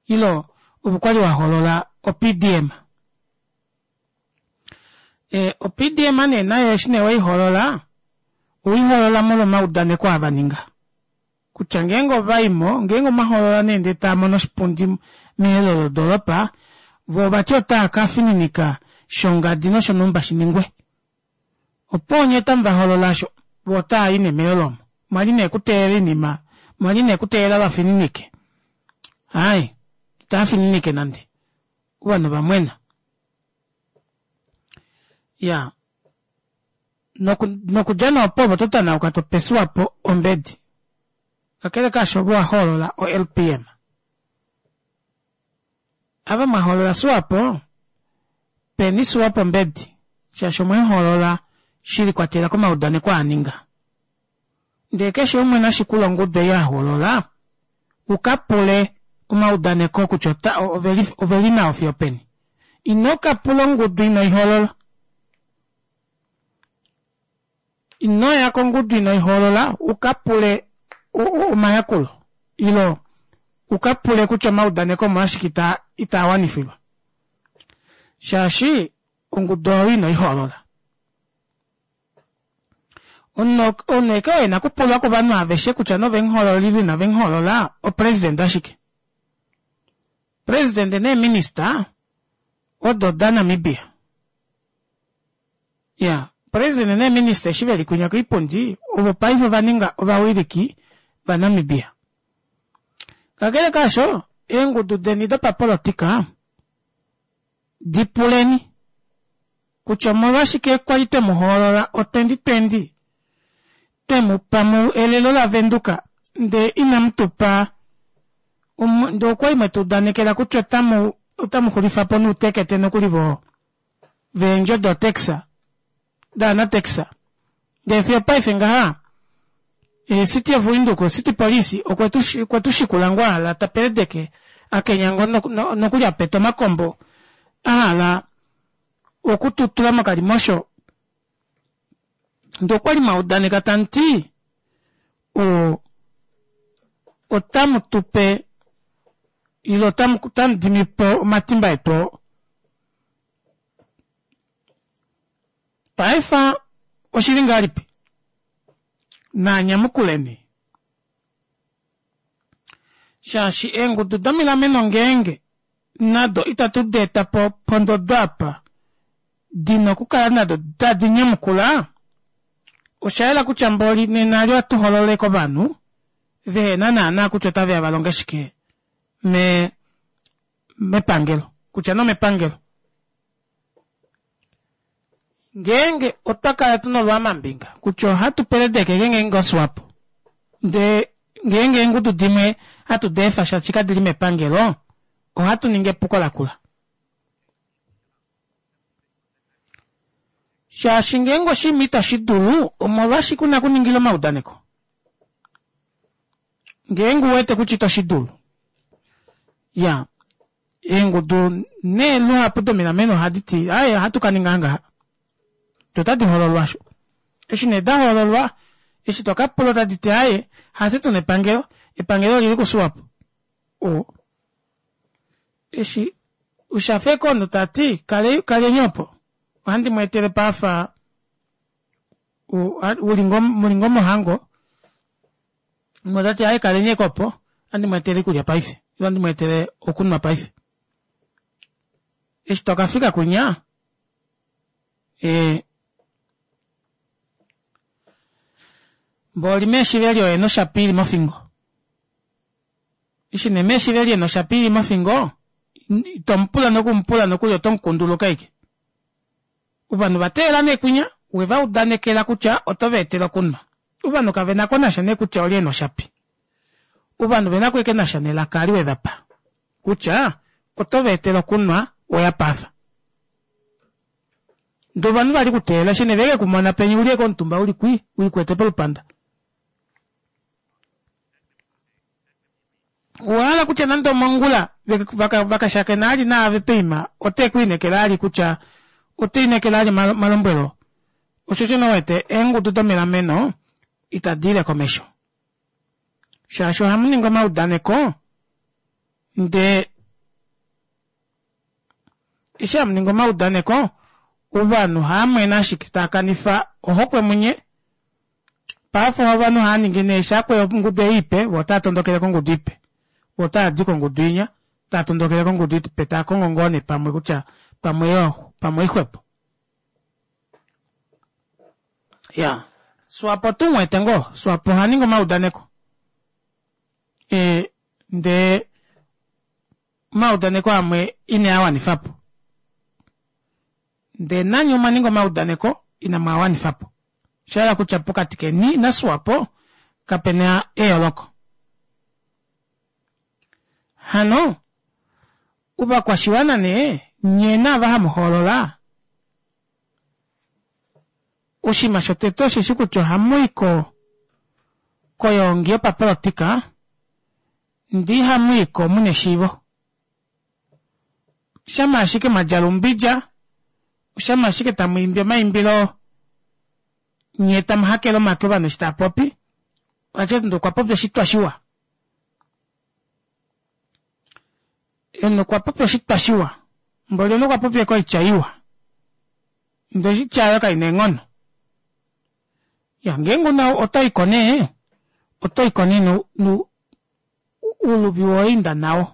ile ove okwa li wa hoolola oPDM. E, oPDM nee nayo eshi nee wei hoolola, owei hoolola molwa omaudaneko aa va ninga. Kutya ngeenge ova i mo, ngeenge omwa hoolola nee ndee taa mono oshipundi melelo lodoolopa, vo vati otaa ka fininika shongadi noshonhumba shi ningwe. Opo nye otamu va hoolola osho, vo otaa i nee melelo omo. Mwa li nee kuteelela oinima, mwa li nee kuteelela va fininike. Aaye, itava fininike nande. Ovanhu va mwena. Ya. Noku, nokudja nee opo ove oto tanauka to pe Swapo ombedi. Kakele kaasho ove wa hoolola oLPM. Ava mwa hoolola Swapo, peni Swapo ombedi, shaashi omwe mu hoolola shi likwatelela komaudaneko a ninga. Ndee keshe umwe na shikule ongudu ei a hoolola, u ka pule omaudaneko kutya ota, oveli, oveli nao fiyo openi. Ino ka pula ongudu ino i hoolola. Ino ya kongudu ino i hoolola u ka pule omayakulo, ilo u ka pule kutya omaudaneko omolwashike ita, itaa wanifilwa. Shaashi ongudu oyo ino i hoolola. Omunhu eke oo e na okupulwa kovanhu aveshe kutya nove mu hoolola ile inave mu hoolola, opresidente ashike. Presidente neeminista odo daNamibia. Ya, presidente neeminista eshi ve li kwinya koipundi, ovo paife ova ninga ovawiliki vaNamibia. Kakele kaasho, eengudu deni dopapolotika di puleni kutya omolwashike kwa li twe mu hoolola o 2020 twe mu pa mu elelo laVenduka ndee inamu tu pa ndee okwa li mwe tu udanekela kutya otamu otamu xulifa po noutekete nokuli vo veendjo dotax daanatex ndee fiyo paife ngaha e, City of Windhoek City Police okwe tu shikula ngoo a hala ta peledeke a kenya ngoo nokuli a peta omakombo a hala oku tu tula mokalimosho ndee okwali mwa udaneka tamu ti o otamu tu pe ile otamu dimi po omatimba etu oo. Paife oshili ngahelipi? Na nyamukuleni. Shaashi eengudu domilameno ngeenge nado itatu di eta po pondodo apa di na okukala nado tadi nyamukula, osha yela kutya mboli nena ali ohatu holole kovanhu vehe na naanaa kutya otave ya va longe shike me mepangelo, kutya nomepangelo. Ngeenge otwa kala tu na olwaamambinga kutya ohatu peledeke ngeenge oSwapo, ndee ngeenge eengudu dimwe hatu di efa shaashi kadi li mepangelo, ohatu ningi epuko lakula. Shaashi ngeenge oshinima itoshi dulu, omolwashike u na okuningila omaudaneko? Ngeenge u wete kutya itoshi dulu. Ya, Eengudu nee luhapu domilameno ohadi ti, Aye, ohatu ka ninga ngaha. Do otadi hoololwa osho. Eshi nee da hoololwa, eshi to ka pula otadi ti, Aye, hafye tu na epangelo, epangelo oli li kuSwapo. O, eshi, osha fa ashike omunhu ta ti, Kale, kaleni opo, ohandi mu etele paafa, u, li ngoo, mu li ngoo mohango, Umwe ota ti, Aye, kaleni ashike opo, ohandi mu etele oikulya paife, ile ohandi mu etele okunwa paife. Eshi to ka fika kwinya, e, mboli meeshiveli oye noshapi ili mofingo. Eshi nee meeshiveli e noshapi ili mofingo, ito mu pula noku mu pula nokuli oto mu kunduluka ashike. Ovanhu va teelela nee kwinya, we va udanekela kutya oto va etele okunwa. Ovanhu kave na ko nasha nee kutya olye e na oshapi. Ovanhu ve na ko ashike nasha nelaka ali we va pa kutya oto va etele okunwa, oya pa afa. Ndee ovanhu vali kuteelela eshi nee veke kumona penya uli ashike omutumba uli kwi, ulikwete polupanda. Owahala kutya nande omongula vakashakena ali naave peima ote ku inekela ali kutya ote inekela ali omalombwelo osho osho nee uwete eengudu domilameno itadi ile komesho shaashi ohamu ningi omaudaneko ndee Eshi hamu ningi omaudaneko, ovanhu ohava mwene ashike tava kanifa ohokwe munye. Paife ovanhu ohava ningi nee eshi akweya ongudu ei ipe, vo otava tondokele kongudu ipe. Vo otava di kongudu inya, tava tondokele kongudu ipe, tava kongo ngoo nee pamwe kutya pamwe yo pamwe oixwepo. Ya, Swapo otu mu wete ngoo, Swapo oha ningi omaudaneko. E, ndee Omaudaneko amwe ine a wanifa po. Ndee nanye omwa ninga omaudaneko inamu a wanifa po. Osha yela kutya pokati keni naSwapo kape na eyooloko. Hano, ovakwashiwana nee nyee naava hamu hoolola, oshinima shotete osheshi kutya ohamu i ko koyoongi yopapolotika Ndi ihamu i ko mu neshiivo. Oshama ashike mwa djala oumbidja, oshama ashike tamu imbi omaimbilo nye tamu hakele omake ovanhu eshi tava popi, vati omunhu okwa popya oshitwa shiwa. Omunhu okwa popya oshitwa shiwa, mboli omunhu okwa popya ashike oitya iwa, ndele oitya oyo kai na eenghono. Ya ngeenge una oto i ko nee, oto i ko nee nu uuluvi woye inda nawo.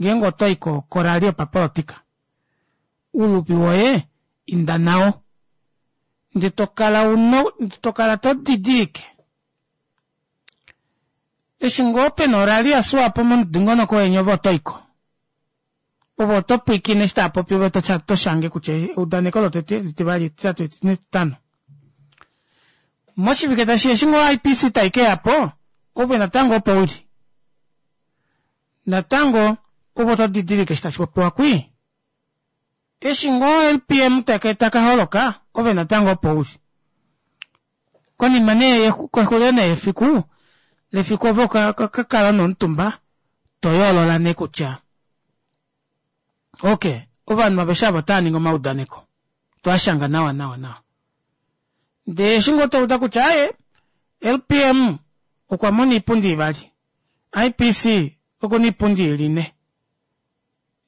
Ngeenge oto i ko korali yopapolotika, uuluvi woye inda nawo. Ndee to kala uno, to kala to didilike. Eshi ngoo pena orali yaSwapo momudingonoko weni ove oto i ko. Ove oto pwiikine eshi tava popi ove to shange kutya eudaneko lotete, etivali, etitatu, etine, etitano. Moshivike tashi eshi ngoo IPC tai ke ya po, ove natango opo u li. Natango ove oto didilike eshi tashi popiwa kwii. Eshi ngoo LPM ta ka holoka, ove natango opo u li. Konima nee kexulilo nee yefiku lefiku ove oka kala nomutumba to yoolola nee kutya ok ovanhu aveshe ava otava ningi omaudaneko to a shanga nawa nawa nawa ndee eshi ngoo to uda kutya aye LPM okwa mona iipundi ivali IPC okuna iipundi ili ine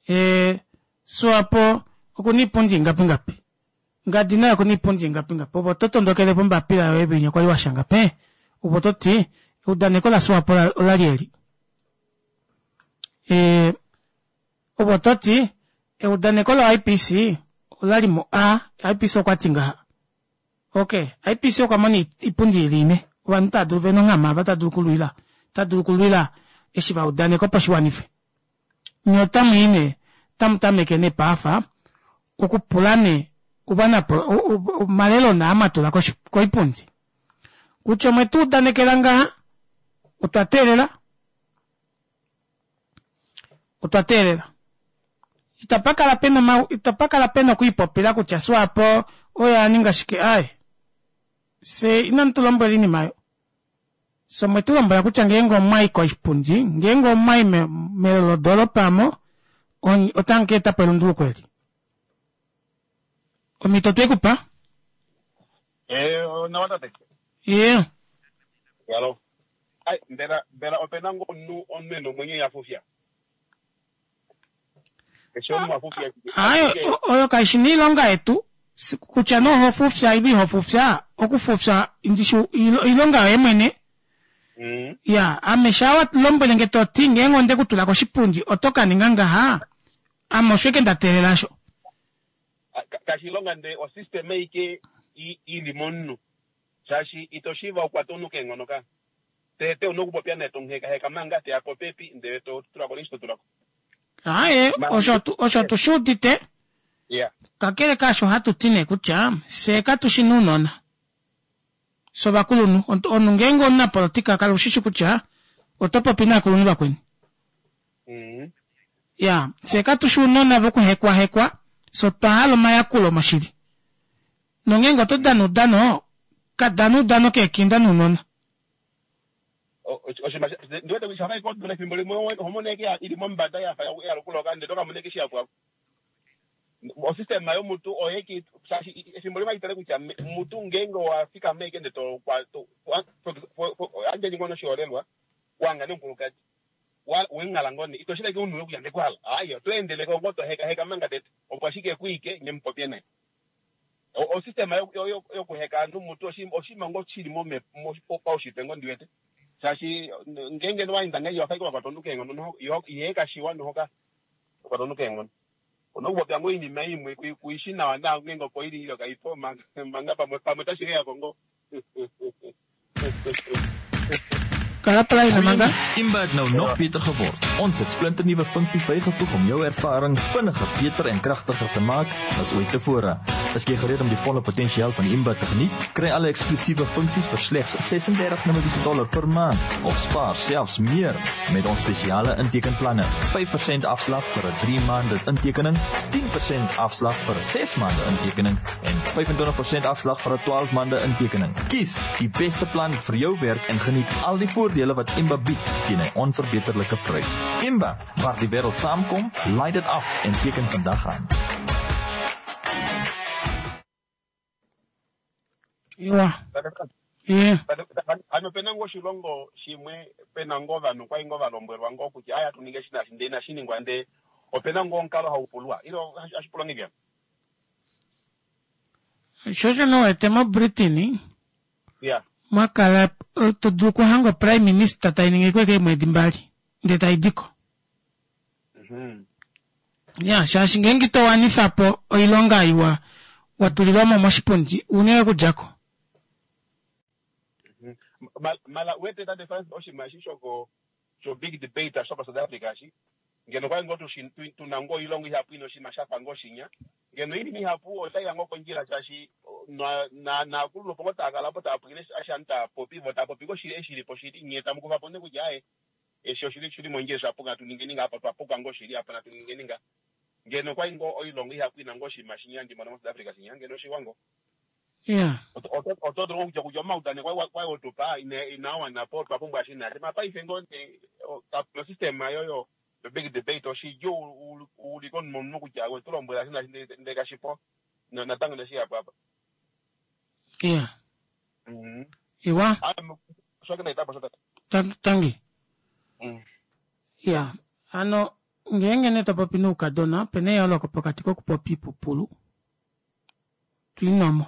e, Swapo okuna iipundi ingapi ngapi Ngadi naye okuna iipundi ingapi ngapi ove oto tondokele pombapila yoye winya kwali wa shanga pe ove oto ti eudaneko laSwapo olali eli e, ove oto ti eudaneko loIPC olali mu A IPC okwa ti ngaha ok IPC okwa mona iipundi ili ine ovanhu tava dulu vena onghama ava tava dulu okulwila tava dulu okulwila eshi va udaneka opo shiwanifwe Nye otamu i nee, otamu tameke nee paafa okupula nee omalelo naa mwa tula koipundi kutya omwe tu udanekela ngaha, otwa teelela, otwa teelela. Itapa kala pena itapa kala pena okwiipopila kutya Swapo oye a ninga shike, aaye. Fye inamu tu lombwela iinima oyo. Fye omwe tu lombwela kutya ngeenge omwa i koshipundi, ngeenge omwa i melelo lodoolopa omo, otamu ka eta po elunduluko eli. Omhito twe ku pa. Eh, nawa tate. Ye. Yalo. Ai, mbela mbela ope na ngoo omunhu omunhu e na omwenyo iha fufya? Keshe omunhu a fufya ashike. Ayo, oyo kai shi niilonga yetu. Kutya nee oho fufya ile iho fufya, okufufya ndishi oilonga yoye mwene. Mm. Ya, ame shaa wa lombwele nge to ti ngeenge onde ku tula koshipundi oto ka ninga ngaha, ame osho ike nda teelela osho. Kashi ilonga ndee osystem eike i li momunhu. Shaashi ito shiiva okukwata omunhu keenghono ka. Tete ouna okupopya naye tomu hekaheka manga teya popepi ndele to tulako eshi to tulako. Aaye, osho osho tu shi udite. Yeah. Kakele kaasho ohatu ti nee kutya fye katu shi nounona. Fye ovakulunhu. Omunhu ngeenge omunapolotika kala ushishi kutya oto popi naakulunhu vakweni. Mm. Ya, fye katu shi ounona vokuhekwahekwa, fye otwa hala omayakulo moshili. Nongeenge oto dana oudano, ka dana oudano keekinda nounona. Oshinima ndi wete kutya shafa odula efimbo limwe oho mono ashike ili mombada ya fa ya lokuloka ndele to ka mona ashike eshi ya pwa ko. Osystema yomutu oye ki shaashi efimbo limwe aitale kutya mutu ngeenge owa fikama ashike ndele to kwa to yandjeni ngoo noshiholelwa wanga nomukulukadi wa wenghala ngoo nee ito shila ashike omunhu kutya ndekuhala aaye oto endeleko ngoo to heka heka manga tete opo ashike ekuike nye mupopye naye. Osystema yokuheka aantu mutu oshinima ngoo shili paushitwe ngoo ndi wete shaashi ngeenge waenda ngeyi owafa ashike wakwatwa omunhu keenghono ihee kashiwa noho ka wakwatwa omunhu keenghono. Una okupopya ngoo oinima imwe kuishi nawa nawa ngeenge opo ili ile kaipo manga pamwe pamwe otashi ke yako ngoo. Kala palaina manga. Simba het nou nog beter geword. Ons het splinternuwe funksies bygevoeg om jou ervaring vinniger, beter en kragtiger te maak as ooit tevore. Is jy gereed om die volle potensiaal van Imba te geniet? Kry alle eksklusiewe funksies vir slegs 36 Namibiese dollar per maand of spaar selfs meer met ons spesiale intekenplanne. 5% afslag vir 'n 3 maande intekening, 10% afslag vir 'n 6 maande intekening en 25% afslag vir 'n 12 maande intekening. Kies die beste plan vir jou werk en geniet al die voordele wat Imba bied teen 'n onverbeterlike prys. Imba, waar die wêreld saamkom, laai dit af en teken vandag aan. Iwa. Yeah. Hano pena ngoo oshilongo shimwe pena ngoo ovanhu kwali ngoo valombwelwa ngoo kutya aya tuninge eshi naashi ndee inashi ningwa ndee opena ngoo omukalo haupulwa ile hashi pulwa ngahelipi? Sho osho nee wete moBritain mwa kala to dulu okuhanga oprime minister tai ningi ko eemwedi mbali ndee tai di ko. Ya, shaashi ngeenge ito wanifa po oilonga iwa wa tulilwa mo moshipundi, u na okudja ko. Mala wete tate Frans oshinima eshi shoko sho big debate shoko South Africa eshi ngeno kwali ngoo tushi tuna ngoo oilongo ihapu ina oshinima shafa ngoo shinya ngeno oinima ihapu otaiya ngoo kondjila shaashi na naakulunhu opo ngoo tava kala opo tava pwilikine eshi ovanhu tava popi vo tava popi ngoo shili eshi shilipo shili nyee tamu kufapo nee kutya aaye eshi oshili shili mondjila osha puka natu ningeni ngaha apa otwa puka ngoo shili apa natu ningeni ngaha ngeno kwali ngoo oilongo ihapu ina ngoo oshinima shinya handi mono mo South Africa shinya ngeno oshiwa ngoo. Yeah. Oto dulu okutya kutya omaudaneko kwa li wetupa inaa wana po, otwa pumbwa eshi naashi. Maar paife ngoo nee kapu na osystema yo yo big debate, oshidjuu u ulike omunhu kutya we tu lombwela eshi naashi ndele kashi po natango inashi ya po apa. Yeah. Iwa. Osho ke naita po sho Tangi. Yeah. Hano ngeenge nee to popi noukadona, ope na eyooloko pokati kokupopya oipupulu to inomo.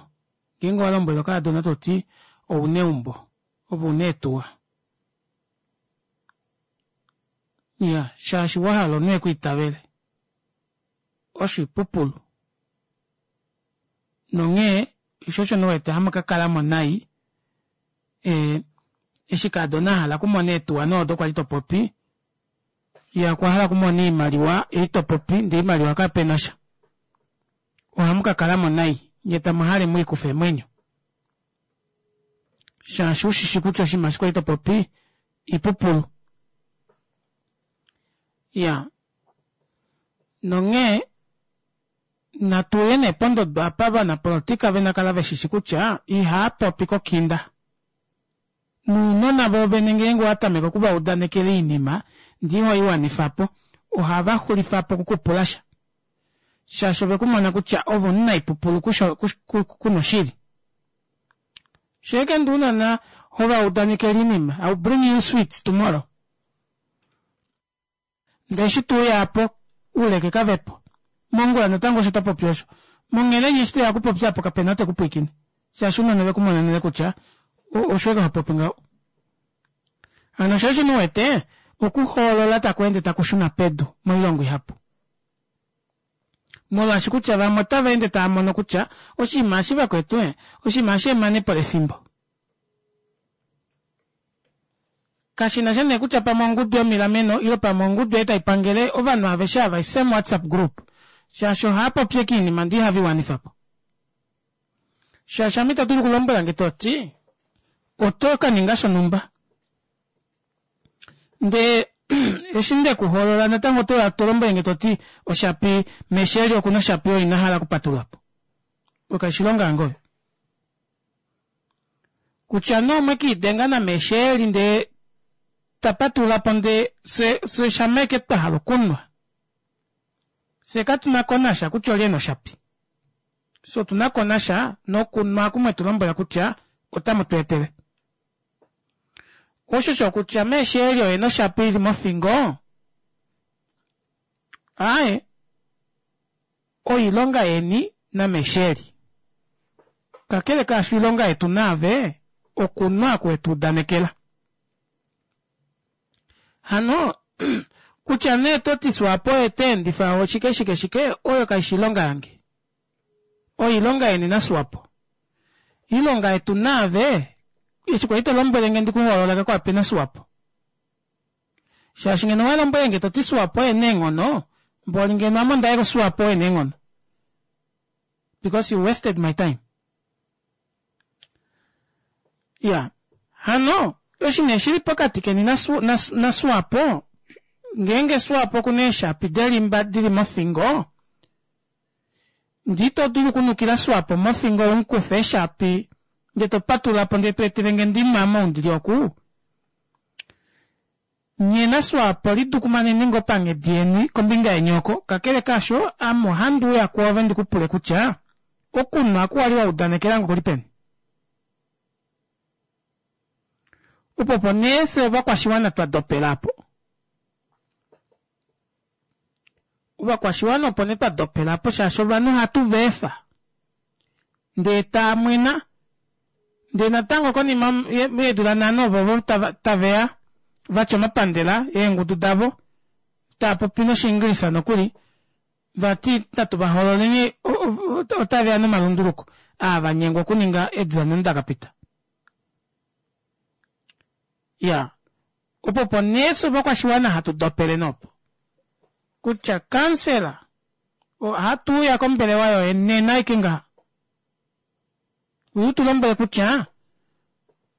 Ngeenge owa lombwele okaadona to ti ou na eumbo, ove u na eetuwa. Iya, shaashi wa hala omunhu e ku itavele. Osho oipupulu. Nonghee osho osho nee wete hamu ka kala mo nai e, eshi kaadona a hala okumona eetuwa nee odo kwali to popi, ye okwa hala okumona oimaliwa ei to popi ndee oimaliwa kape na sha. Ohamu ka kala mo nai nye tamu hale mu ikufe eemwenyo. Shaashi u shi shi kutya oshinima eshi kwali to popi ipupulu. Iya. Nonghee natu uye nee pondodo apa ovanapolotika vena kala ve shi shi kutya ihaa popi kokinda. Nounona voovene ngeenge owa tameke oku va udanekela oinima ndee iho i wanifa po, ohava xulifa po oku ku pula sha. Shaashi ove ku mona kutya ove omunaipupulu ku na oshili. Sheekende uunona ho va udanekele oinima, I will bring you sweets tomorrow. Ndele eshi to uya apo, uuleke kave po. Mongula natango osho to popi osho. Monghele eshi to ya okupopya apo kape na ou te ku pwilikine. Shaashi ounona ove ku mona nale kutya osho ove ho popi ngaho. Hano sho osho wete okuhoolola taku ende taku shuna pedu moilongo ihapu. Molwaashi kutya vamwe otava ende tava mono kutya oshinima eshi vakwetu, oshinima eshi emanepo lefimbo. Kashi na sha nee kutya pamwe ongudu yomilameno ile pamwe ongudu ei tai pangele, ovanhu aveshe ava same WhatsApp group shaashi ohava popi ashike oinima ndee ihave i wanifa po. Shaashi ame ito dulu okulombwela nge to ti oto ka ninga shonhumba ndee eshi nde ku hoolola natango oto ya to lombwele nge to ti oshapi Mesheli oku na oshapi oyo ina hala okupatulula po. Oyo kai shi longa ngoo oyo. Kutya nee omwe kiidenga namesheeli ndee ta patulula po ndee fye fye shama eke twa hala okunwa. Fye katu na ko nasha kutya olye noshapi. Fye otu na ko nasha nokunwa oku mwe tu lombwela kutya otamu tu etele. Osho sho kutya meesheeli oye noshapi ili mofingo, aaye, oilonga yeni namesheeli. Kakele kaasho oilonga yetu naave okunwa oku we tu udanekela. Hano kutya nee to ti Swapo oye ta endifa oshike shike shike, oyo kai shi oilonga yange. Oyo oilonga yeni naSwapo. Oilonga yetu naave, eshi kwali to lombwele nge ndi ku hoolole kakwa pe na Swapo. Shaashi ngeno owa lombwele nge to ti Swapo oye neenghono, mboli ngeno ame onda ya koSwapo oye neenghono. Because you wasted my time. Ya, hano eshi nee shili pokati keni naSwapo, ngeenge Swapo okuna eeshapi delimba dili mofingo, ndee ito dulu okunukila Swapo mofingo u mu kufe eeshapi ndee to patulula po ndee to etele nge ndi nwe ame ou ndili oku, Nye naSwapo lidukumaneni ngoo panghedi yeni kombinga yeni oko. Kakele kaasho, ame ohandi uya kwoove ndi ku pule kutya, Okunwa oku wa li wa udanekela nge okuli peni? Opo opo nee fye ovakwashiwana twa dopela opo. Ovakwashiwana opo nee twa dopela po shaashi ovanhu ohatu va efa ndee taa mwena ndee natango konima yeedula nhano ovovo tave ya vatya omapandela eengudu davo taa popi noshiingilisa nokuli vati natu va hoololeni otave ya nomalunduluko aa va nyengwa okuninga eedula nhano da ka pita. Ya Opo opo nee fye ovakwashiwana hatu dopele nopo kutya kansela ohatu uya kombelewa yoye nena aike ngaha u tu lombwele kutya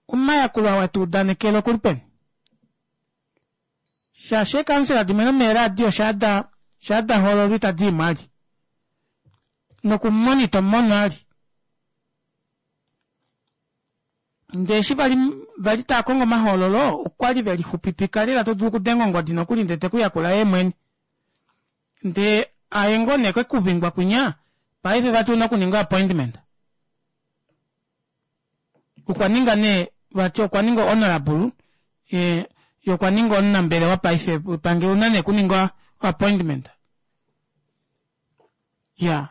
omayakulo aa wetu udanekele okuli peni. Shaashi eekansela dimwe nomeeradio shaa da shaa da hoololwa itadi i mo ali nokumona ito mono ali. Ndee eshi vali vali taa kongo omahoololo, okwa li ve lixupipika lela to dulu okudenga ongodi nokuli ndee te ku yakula yee mwene. Ndee aye ngoo nee kekuvingwa kwinya, paife vati una okuninga appointment. Okwa ninga nee vati okwa ninga honourable, ye ye okwa ninga omunambelewa paife wepangelo una nee okuninga appointment. Ya.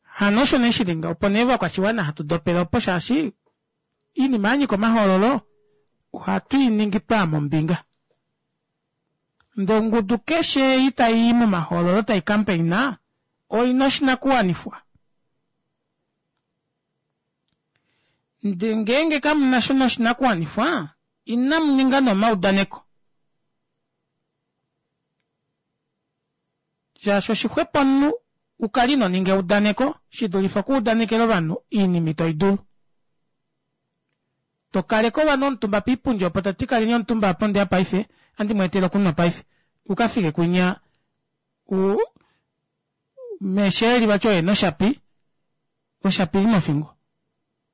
Hano osho nee shili nga opo nee ovakwashiwana hatu dopele opo shaashi oinima ya nyika omahoololo ohatu i ningi twa ama ombinga. Ndee ongudu keshe ei tai i momahoololo tai kampeina oi na oshinakuwanifwa. Ndee ngeenge kamu na sha noshinakuwanifwa inamu ninga nee omaudaneko. Shaashi oshixwepo omunhu u kale ino ninga eudaneko shi dulife okuudanekela ovanhu oinima ito i dulu. To kaleke ovanhu omutumba poipundi opo to ti kaleni omutumba apa ondeya paife, ohandi mu etele okunwa paife. U ka fike kwinya u meesheeli vati oye noshapi, oshapi ili mofingo.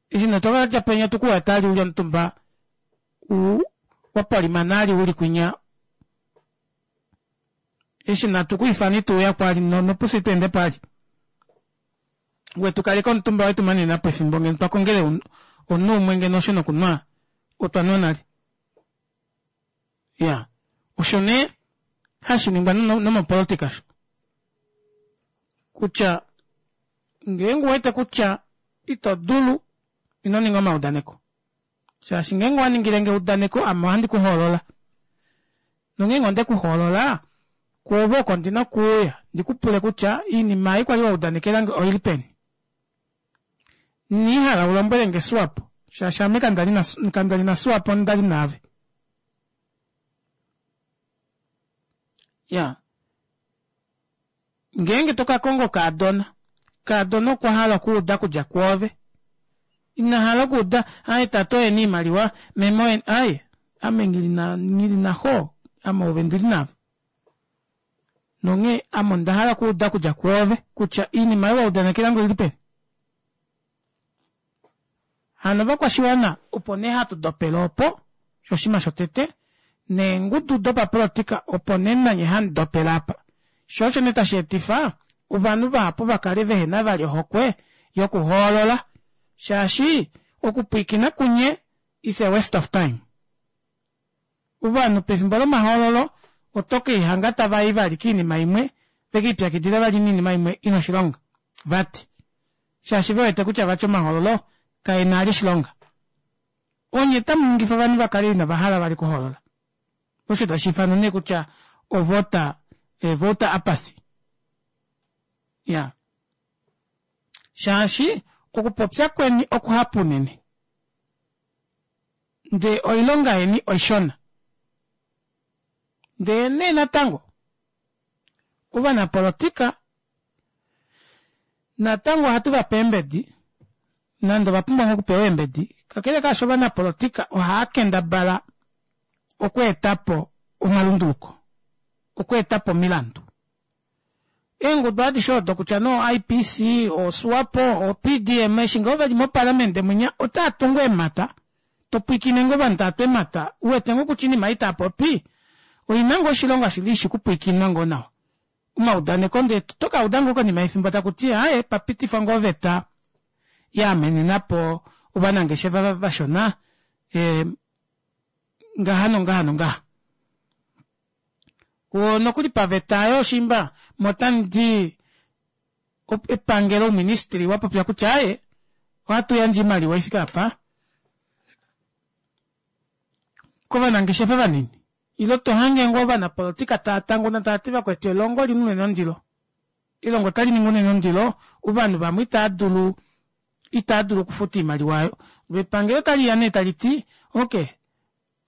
Eshi nee to ka dja penya to ku wete ali uli omutumba u wa polimana ali uli kwinya Eshi natu ku ifane tu uya kwali no nopusi tu ende pali. Wetu kaleka omutumba wetu manena po efimbo ngeno twa kongele omunhu umwe ngeno osho nokunwa otwa nwa nale. Ya. Osho nee hashi ningwa nomopolitika sho. Kutya ngeenge u wete kutya ito dulu ino ninga omaudaneko. Shaashi ngeenge owa ningile nge eudaneko, ame ohandi ku hoolola. Nongeenge onde ku hoolola, kwoove oko ndi na okuuya ndi ku pule kutya, Oinima ei kwa li wa udanekela nge oi li peni? Inandi hala u lombwele nge Swapo, shaashi ame kanda li na, kanda li na Swapo, onda li naave. Ya. Ngeenge to ka konga okaadona, kaadona okwa hala okuuda okudja kwoove. Ina hala okuuda, aye tate oye na iimaliwa, meme oye, aye, ame nghi li na, nghi li naxo, ame ove ndi li navo. Nonghee ame onda hala okuuda okudja kwoove kutya iinima ei wa udanekela nge oi li peni. Hano ovakwashiwana opo nee hatu dopele opo, sho oshinima shotete, neengudu dopapolitika opo nee nanye hamu dopele apa. Sho osho nee tashi etifa ovanhu vahapu va kale vehena vali ohokwe yokuhoolola shaashi okupwiikina kunye is a waste of time. Ovanhu pefimbo lomahoololo oto ke lihanga tava i vali kiinima imwe, ve ke lipyakidila vali niinima imwe ina oshilonga, vati. Shaashi ve wete kutya vati omahoololo kae na ali oshilonga. Onye tamu ningifa ovanhu va kale inava hala vali okuhoolola. Osho tashi ifanwa nee kutya ovoter, voter apathy. Ya. Shaashi okupopya kweni okuhapu unene. Ndee oilonga yeni oishona. Ndee nee natango, ovanapolotika natango ohatu va pe eembedi, nande ova pumbwa ngoo okupewa eembedi, kakele kaasho ovanapolotika ohaa kendabala okweeta po omalunduluko, okweeta po omilandu. Eengudu adishe odo kutya nee oIPC, oSwapo, oPDM eshi ngoo veli mopaliamente mwinya otaa tungu eemhata, to pwiikine ngoo ovanhu tava tu eemhata u wete ngoo kutya oinima ei tava popi oina ngoo oshilonga shili ishi kupwiikinwa ngoo nawa. Omaudaneko ndee oto ka uda ngoo konima yefimbo taku ti aaye pa pitifwa ngoo oveta ya amenena po ovanangeshefa vashona ngaha nongaha nongaha. Wo nokuli paveta yoshimba motandi epangelo ouministry wa popya kutya aye ohatu yandje imaliwa ifike apa kovanangeshefa vanini ilo to hange ngoo ovanapolitika tava tanguna tava ti vakwetu elongo olina unene ondilo elongo otali ningi unene ondilo ovanhu vamwe itava dulu itava dulu okufuta oimaliwa oyo epangelo tali ya nee tali ti okay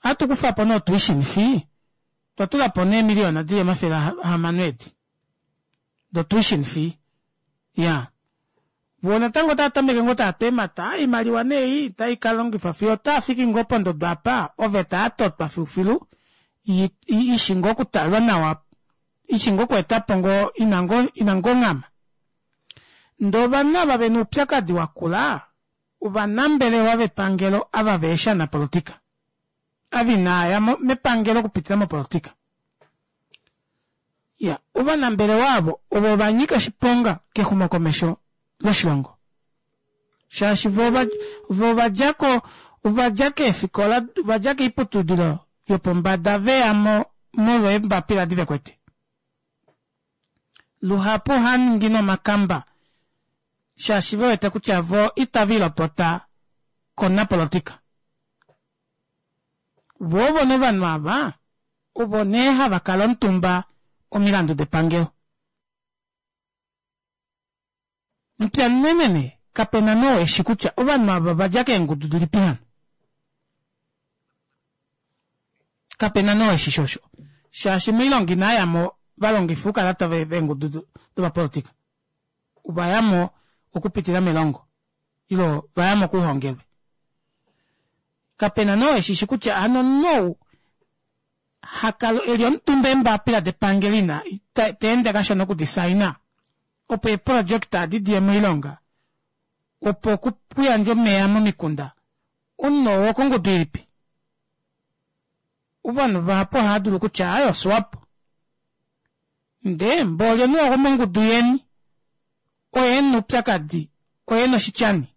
Ohatu kufa po nee otuition fee, otwa tula po nee eemiliyona dili 600 edi dotuition fee. Iyaa. Voo natango otava tameke ngoo tava tu eemhata, oimaliwa nee ei itai ka longifwa fiyo otaa fiki ngoo pondodo apa oveta ya totwa filufilu i, i shi ngoo okutalwa nawa, i shi ngoo okweeta po ngoo, ina ngoo, ina ngoo onghama. Ndee ovanhu ava ve na oupyakadi wakula, Ovanambelewa vepangelo ava vehe anapolitika, ava inaa ya mo mepangelo okupitila mopolitika. Ya, ovanambelewa avo ovo va nyika oshiponga kexumokomesho loshilongo. Shaashi vo ova, vo ova dja ko, ova dja keefikola, ova dja koiputudilo yopombada ve ya mo molwa eembapila adi ve kwete. Luhapu ohaa ningi nomakamba shaashi ve wete kutya vo itava ilopota komunapolotika. Vo ovo nee ovanhu ava ovo nee hava kala omutumba omilandu depangelo. Mupya munene nee, kape na nee oo eshi kutya ovanhu ava ova dja keengudu dilipi hano. Kape na nee oo eshi shi osho, shaashi moilonga inaa ya mo va longifa oukalata veengudu dopapolitika. Ova ya mo okupitila melongo, ile va ya mo kuuhongelwe. Kape na nee oo eshi shi kutya hano omunhu ou ha kala e li omutumba eembapila depangelo ina ta ende kashona okudisaina opo eeprojekta adi diye moilonga opo ku yandje omeya momikunda, omunhu oo owokongudu ilipi? Ovanhu vahapu ohava dulu okutya aye oSwapo. Ndee mboli omunhu womongudu yeni oye e na oupyakadi, oye e na oshityani.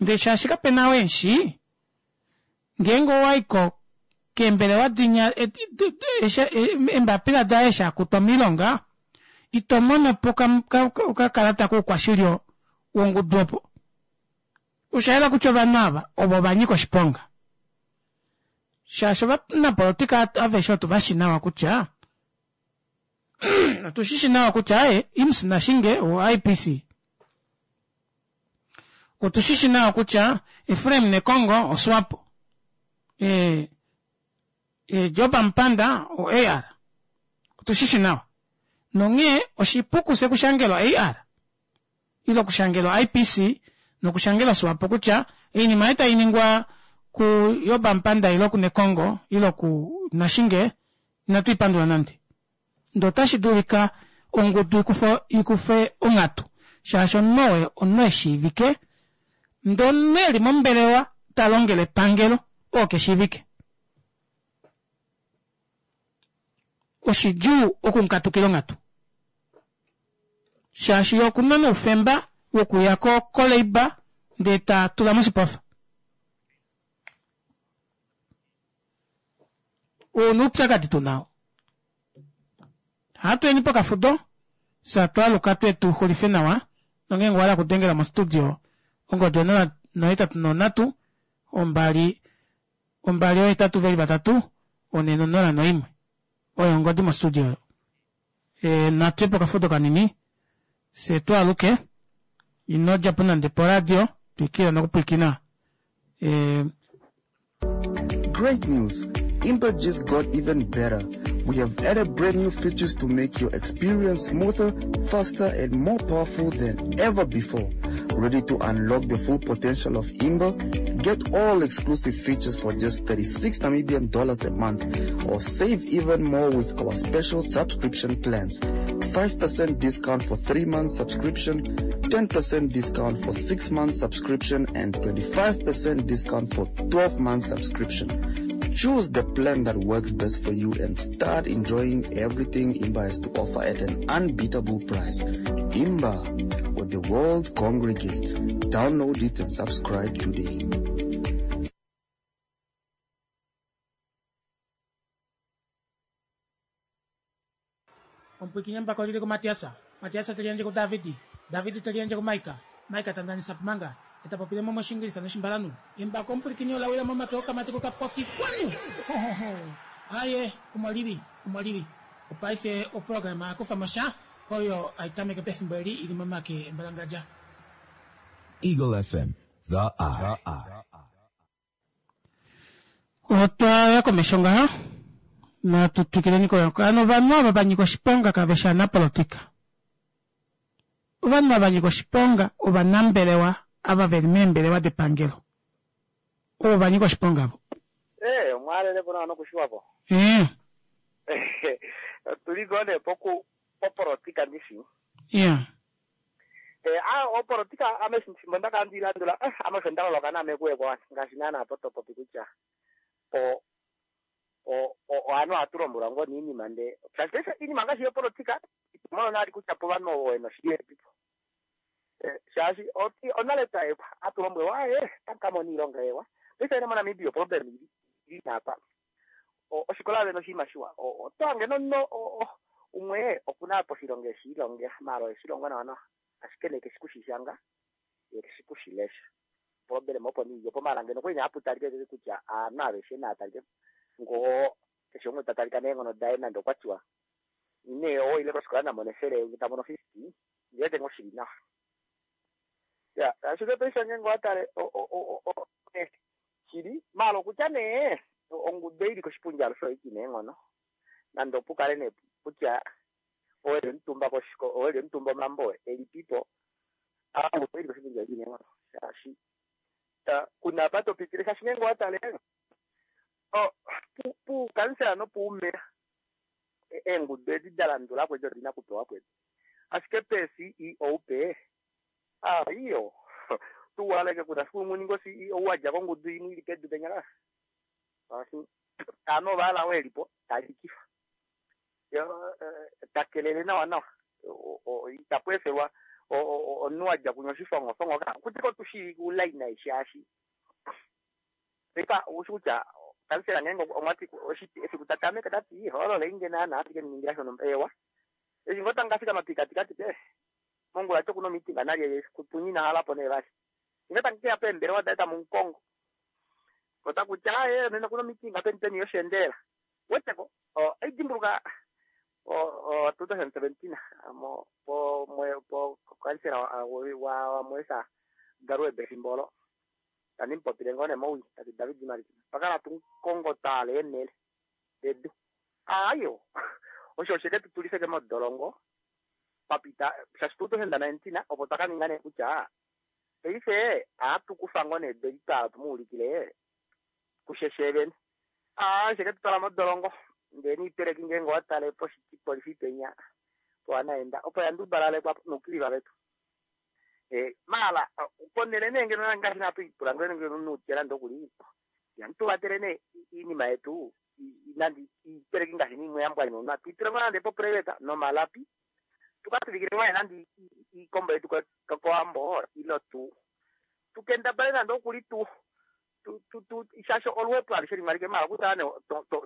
Ndee shaashi kape na oo e mu shii, Ngeenge owa i ko keembelewa dinya eembapila daye eshi a kutwa moilonga, ito mono po okakalata koukwashilyo wongudu opo. Osha yela kutya ovanhu ava ovo va nyika oshiponga shaashi ovanapolotika aveshe otu va shi nawa kutya otu shi shi nawa kutya aye Imms Nashinge woIPC Otu shi shi nawa kutya Ephraim Nekongo oSwapo, e, e, Job Amupanda oAR. Otu shi shi nawa. Nonghee oshipu kufye okushangelwa AR ile okushangelwa IPC nokushangelwa Swapo kutya oinima ei tai ningwa kuJob Amupanda ile kuNekongo ile kuNashinge inatu i pandula nande. Ndee otashi dulika ongudu i kufe onghatu, shaashi omunhu oo omunhu e shiivike. Ndee omunhu eli mombelewa ta longele epangelo oo keshiivike. Oshidjuu okumukatukila onghatu shaashi ye okuna noufemba wokuya ko ko-labour ndee ta tula moshipofa. Oo oupyakadi tu nao. Ohatu yeni pokafudo, fye atu aluka twe tu xulife nawa, nongeenge owa hala okudengela mostudio ongodi 083 2 2 8 2 4 01 oyo ongodi mostudio oyo. E, natu ye pokafudo kanini fye tu aluke. Ino dja po nande poradio, twikila nokupwilikina. E, Great news! Imba just got even better. We have added brand new features to make your experience smoother, faster, and more powerful than ever before. Ready to unlock the full potential of Imba? Get all exclusive features for just 36 Namibian dollars a month or save even more with our special subscription plans. 5% discount for 3 months subscription, 10% discount for 6 months subscription, and 25% discount for 12 months subscription. Choose the plan that works best for you and start enjoying everything Imba has to offer at an unbeatable price. Imba, where the world congregates. Download it and subscribe today. Omupwiikini embako lili kuMatias, Matias te liyandje kuDavid, David te liyandje kuMaika, Maika ta ndanisa Pumanga, e ta popile mo mOshiingilisa nOshimbalanhu. Embako omupwilikini ola wila momake okamati kokapofi kwanu! Hohoho! Aaye, omo lili, omo lili. Opaife oprograma ya kufa mo sha, oyo hai tameke pefimbo eli i li momake embalangadja. Eagle FM, The Eye. Otwa ya komesho ngaha, natu twikileni ko. Hano ovanhu ava va nyika oshiponga kave shi anapolotika. Ovanhu ava va nyika oshiponga ovanambelewa ava ve li meembelewa depangelo. Ovo va nyika oshiponga avo. Eh, omwaalele po nawa nokushiwa po. Eh. Otu li ngoo nee poku popolotika ndishi. Yeah. Eh, a opolotika ame fimbo nda kala ndi landula, eh, ame osho nda loloka naame kuwekwa ngaashi naana apo to popi kutya o o ovanhu ohatu lombwelwa ngoo nee iinima ndee shaashi paife iinima ngaashi yopolotika ito mono nale kutya povanhu ovo wena oshili elipipo. Eh, shaashi onale twa ekwa hatu lombwelwa aye tamu ka mona iilonga ewa. Paife ene moNamibia oproblem ili ili naapa. Oshikola vene oshinima shiwa. Oto hange nomunhu umwe okuna apa oshilonga eshi ilongela maala oheshi longo nawa nawa ashike nee keshi kushi shanga ye keshi kushi lesha. Oproblem opo nee ili opo maala ngeno okwali nee hapu talika ashike kutya aanhu aveshe naa talike ngoo keshe umwe ta talika neenghono daye nande okwa tiwa nee owaile kofikola na mone efele umwe ta mono 50 ndi wete ngoo shili nawa. Ya ashike paife ngeenge owa tale shili maala okutya nee ongudu ei ili koshipundi alushe oyo ina eenghono nande opu kale nee kutya owe li omutumba owe li omutumba omambo elipipo ongudu ei ili koshipundi oyo ina eenghono shaashi kuna apa to pitile shaashi ngeenge owa tale puukansela nopuumeya eengudu edi da landula po edi odi na okupewa po edi ashike pee-CEO pe iyo tuwaleke kuna fiku limwe uninge o-CEO wa dja kongudu imwe ili pedu penya ka shaashi ame ova hala oo elipo talikifa ta kelele nawa nawa itapu efelwa omunhu wa dja kunya oshifongofongo ka kutya ko tushi ulaina shaashi paife oushi kutya kansela ngeenge omwati efiku ta tameke tati hoololei nge naana handi ke mu ningila shonhumba eewa eshi ngoo tamu ka fikama pikatikati pe mongula ti okuna omitinga nalyelye punyi ina hala po nee vali nge tamu keya peembelewa daye tamu mu kongo ota kutya aaye nena okuna omitinga peni peni yosheendelela weteko ohai dimbuluka o 2017 mo po po kansela wa Moesa Garueb efimbo olo tandi mu popile ngoo nee mowii tate David Martin otwa kala tu kongo twa hala eenhele dedu aayo osho oshe ke tu tulife ke modolongo pa pita shaashi 2019 opo twa ka ninga nee kutya paife ohatu kufa ngoo nee edu eli twa hala tu mu ulikile kusheshe vene aa oshe ke tu twala modolongo ndee niipeleki ngeenge owa tale poshitipolifi penya powanaenda opo ya ndubalalekwa noukiliva vetu. Eh, maala ponhele nee ngeno ngaashi natu ipula ngeno ngeno nuutya nande okuli ihamu vatele nee iinima yetu nande ipeleki ngaashi niimwe yambwanyonwa natu itule ngoo nande poprivate nomalapi tukatuvikile ngoo nande iikombo yetu kowambo ilo tu tukendabale nande okuli tu shaashi oluhepo alishe limwe alike maala okutala nee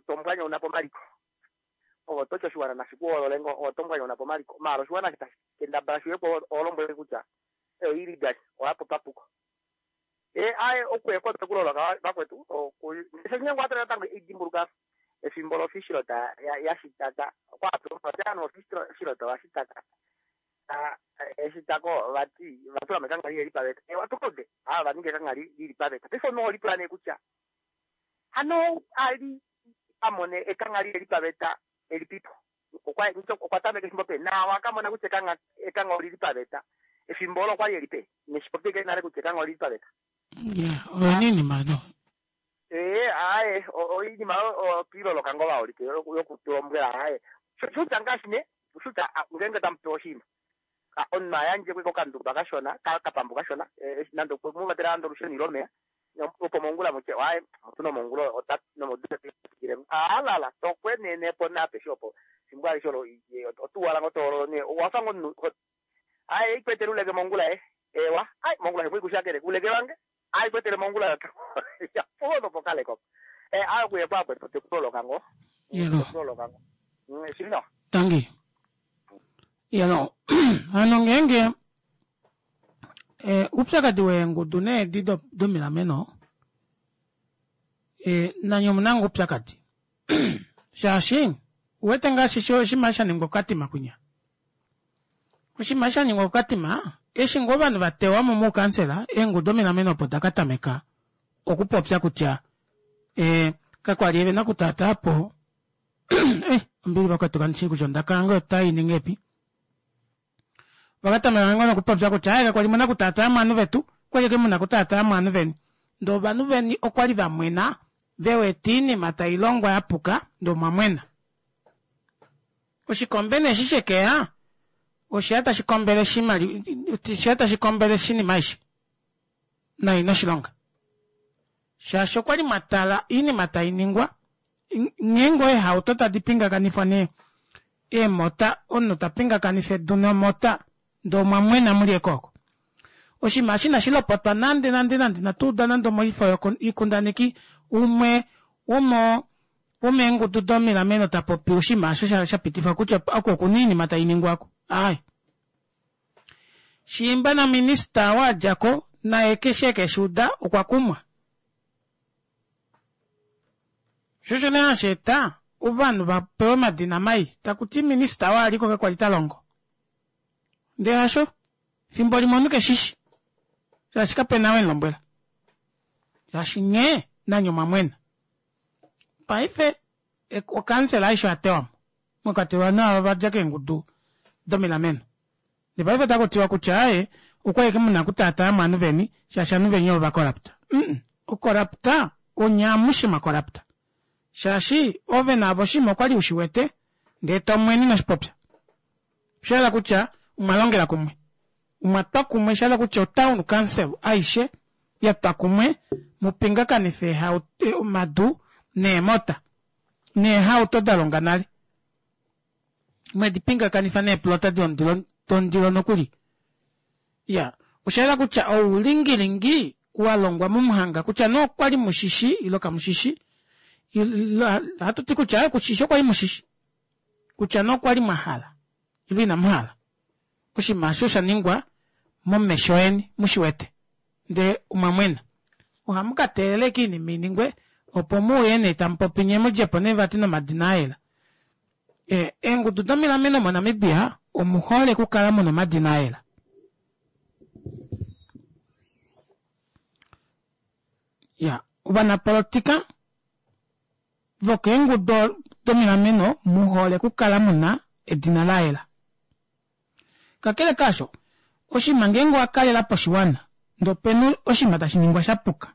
tombwanyauna po omaliko ovo toti oshiwana nashi ku hoolole ngoo oto mbwanyauna po omaliko maala oshiwana tashi kendabala shiye po olombwele kutya oiligali oya po papuko e aye okuye ko tekuloloka vakwetu oshinyangwa atu natango idimbuluka efimbo lofishilota ya shitaka okwatano ofishilota wa shitaka eshitako vati vatula mekanga lili paveta watukude ava vaninga ekanga lili paveta paife omunhu oholipula nee kutya hano ali amone ekanga lili paveta elipipo okwa tameka efimbo pe nawa akamona kutya ekanga ekanga olili paveta efimbo olo okwali elipe neshipopike nale kutya ekanga olili paveta ya oinima no ee aye oinima otwiiloloka ngoo vaholike yokutulombwela aye shutya ngaashi ne shutya ngeenge tamupewa oshinima omunhu ayandje kokanduba kashona kapambu kashona nande okumuvatela nande olusheno ile omeya opo mongula mutye aye otu nomongula ota nomodule alala tokwenenepo napeshe opo fimbo alishe olo otuwala ngoo tohololo ne owafa ngoo omunhu aye ikwetele uleke mongula e ewa ai mongula hemwiikushakele uleke wange ai kwetele mongula yapuwo nopokaleko e aye okuye kwakwetu tekuloloka ngoo tekuloloka ngoo shili nawa tangi yelo hano ngeenge oupyakadi weengudu needi domilameno nanye omuna ngoo oupyakadi shaashi uwete ngaashi sho oshinima sha ningwa kokatima kwinya oshinima sha ningwa kokatima eshi ngoo ovanhu va tewa mo muukansela eengudu domilameno opo da ka tameka okupopya kutya kakwali vena okutaataa po ombili vakwetu kandi shii kutya ondaka yange otai ningi epi vakatameka ngoo nokupopya kutya aye kakwali muna kutaataa mo ovanhu vetu okwali ashike muna kutaataa mo ovanhu veni ndee ovanhu veni okwali vamwena vewete oinima tailongwa yapuka ndee omwamwena oshikombe nee eshi shekeya osheya tashi kombele oshimaliwa osheya tashi kombele oshinima eshi naina oshilonga shaashi okwali mwatala oinima tainingwa ngeenge eehauto tadi pingakanifwa nee eemota omunhu ta pingakanifa edu nomota ndee omwa mwena muli ekooko oshinima eshi inashi lopotwa nande nande nande inatu uda nande omoifo yoikundaneki umwe womo womeengudu domilameno ta popi oshinima osho sha pitifwa kutya oko okuna oinima tai ningwa oko aaye shiimba na minista wadjako naye keshe ekeshi uda okwa kumwa shosho nee hashi eta ovanhu va pewe omadina mai taku ti minista oo aliko kakwali ta longo ndee hasho fimbo limwe omunhu keshishi shaashi kapena ou emulombwela shaashi nghee nanye omwa mwena paife okansela aishe oya tewamo mwakwatelwa naava vadja keengudu domilameno ndee paife ota kutiwa kutya aaye okwali muna okutaataa mo ovanhu veni shaashi ovanhu veni ovo vakorapta okorapta onye amushe mwakorapta shaashi ove naavo oshinima okwali ushiwete ndee tomwene inoshipopya oshahala kutya omwa longela kumwe omwa twa kumwe shahala kutya otown council aishe ya twa kumwe mupingakanife omadu neemota neehauto da longa nale mwedi pingakanifa neeplota dondilo nokuli ya oshahala kutya oulingilingi wa longwa momuhanga kutya nee okwali mushishi ilo kamushishi ohatu ti kutya kushishi okwali mushishi kutya nee okwali mwa hala ilo inamu hala oshinima osho osha ningwa momesho eni mushiwete ndee omwa mwena ohamu ka teelela ashike oinima iningwe opo muuye nee tamupopi nye mudjepo nee vati nomadina ayela eengudu domilameno moNamibia omuhole okukala muna omadina ayela ya ovanapolotika vokeengudu domilameno muhole okukala muna edina layela kakele kaasho oshinima ngeenge owa kalela po oshiwana ndee opena oshinima tashi ningwa shapuka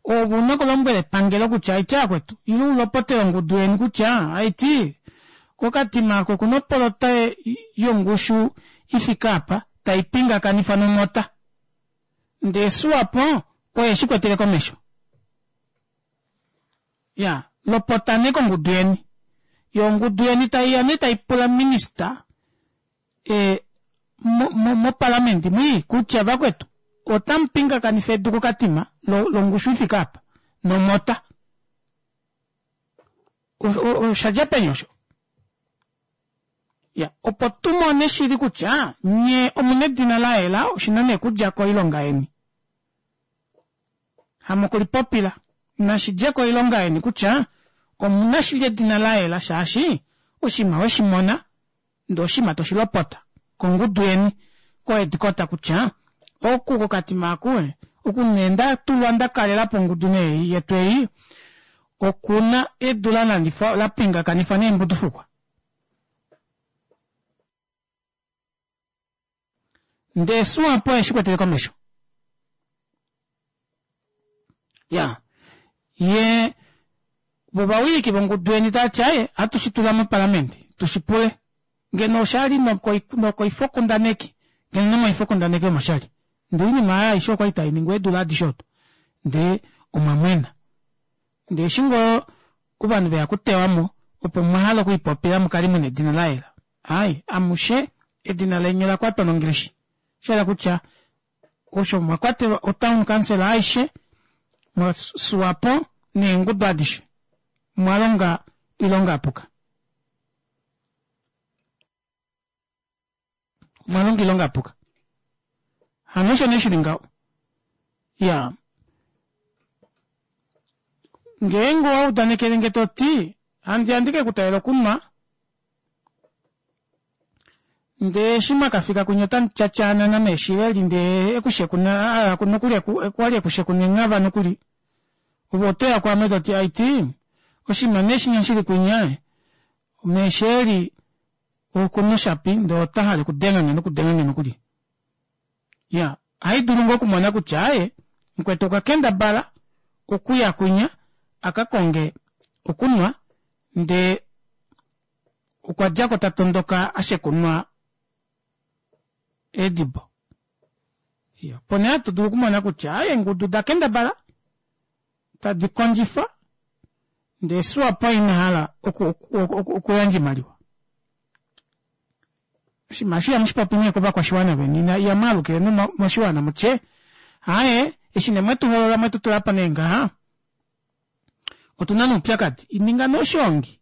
ove una okulombwela epangelo kutya aiti akwetu ile ulopotele ongudu yeni kutya aiti kokatima oko okuna opolota yongushu ifike apa. tai pingakanifwa nomota. Ndee Swapo oye shi kwetele komesho. Ya, lopota nee kongudu yeni. Yo ongudu yeni tai ya nee tai pula minista e, mopalamende mo, mo mwii kutya vakwetu otamu pingakanifa edu kokatima longushu lo ifika apa nomota. Osha dja peni osho? Ya, opo tu mone shili kutya nye omuna edina la yela oshina nee kudja koilonga yeni. Hamokulipopila. Nashi dje koilonga yeni kutya omuna shili edina la yela shaashi oshinima we shi mona ndee oshinima to shi lopota kongudu yeni koheadquarter kutya oku kokatima aku oku nee nda tulwa nda kalela po ongudu nee yetu ei okuna edu la landifwa la pingakanifwa neembudufukwa. Ndee Swapo eshi kwetele komesho. Ya. Ye vovawiliki vongudu yeni tava ti aye ohatu shi tula mopalamende tu shi pule. Ngeno osha li nokoifokundaneki, ngeno nomoifokundaneki omo sha li. Ndee oinima oyo aishe okwa li tai ningwa eedula adishe odo. Ndee omwa mwena. Ndee eshi ngoo ovanhu veya okutewa mo opo mwa hala okulipopila mu kale mu na edina la yela. Ai, amushe edina leni ola kwatwa nongilishi. Sha hala kutya osho mwa kwatelwa otown council aishe, mwa Swapo neengudu adishe. Omwa longa oilonga ya puka. Omwa longa oilonga ya puka. Hano osho nee shili ngaho. Ya. Ngeenge owa udanekele nge to ti, handi ya ndi ke ku talela okunwa, ndee eshi mwakafika kwinya otamu tyatyaanana meeshila eli ndee ekushekuna a hala nokuli okwali ekushekuna enghava nokuli ove otoya kwaame toti aiti oshinima nee shinya shili kwinya meesheeli okuna oshapi ndee ota hala okudenga nge nokudenga nge nokuli ya ohai dulu ngoo okumona kutya aye mukwetu okwa kendabala okuya kwinya a ka konge okunwa ndee okwa dja ko ta tondoka a shekunwa eedibo. Iya, opo nee hatu dulu okumona kutya aye eengudu da kendabala tadi kondjifa ndee Swapo ina hala okuyandja oimaliwa. Oshinima eshi ihamu shi popi nee kovakwashiwana veni, ihamu alukile moshiwana mu tye aaye eshi nee mwetu hoolola mwetu tula po nee ngaha otu na nee oupyakadi. Ninga nee oshoongi.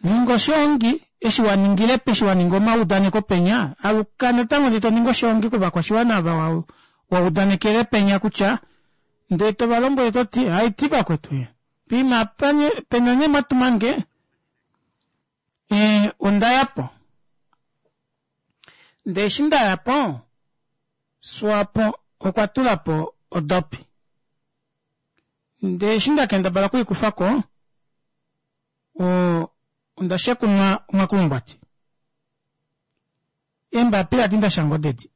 Ninga oshoongi eshi wa ningile eshi wa ninga omaudaneko penya, aluka natango ndee to ningi oshoongi kovakwashiwana ava wa udanekele penya kutya ndee to va lombwele to ti haiti vakwetu poima apa penya nye mwa tuma nge e, onda ya po ndee eshi nda ya po Swapo okwa tula po odopi Ndee eshi nda kendabala oku i kufa ko, o, onda shekunwa omakulumbwati. Eembapila edi nda shanga odedi.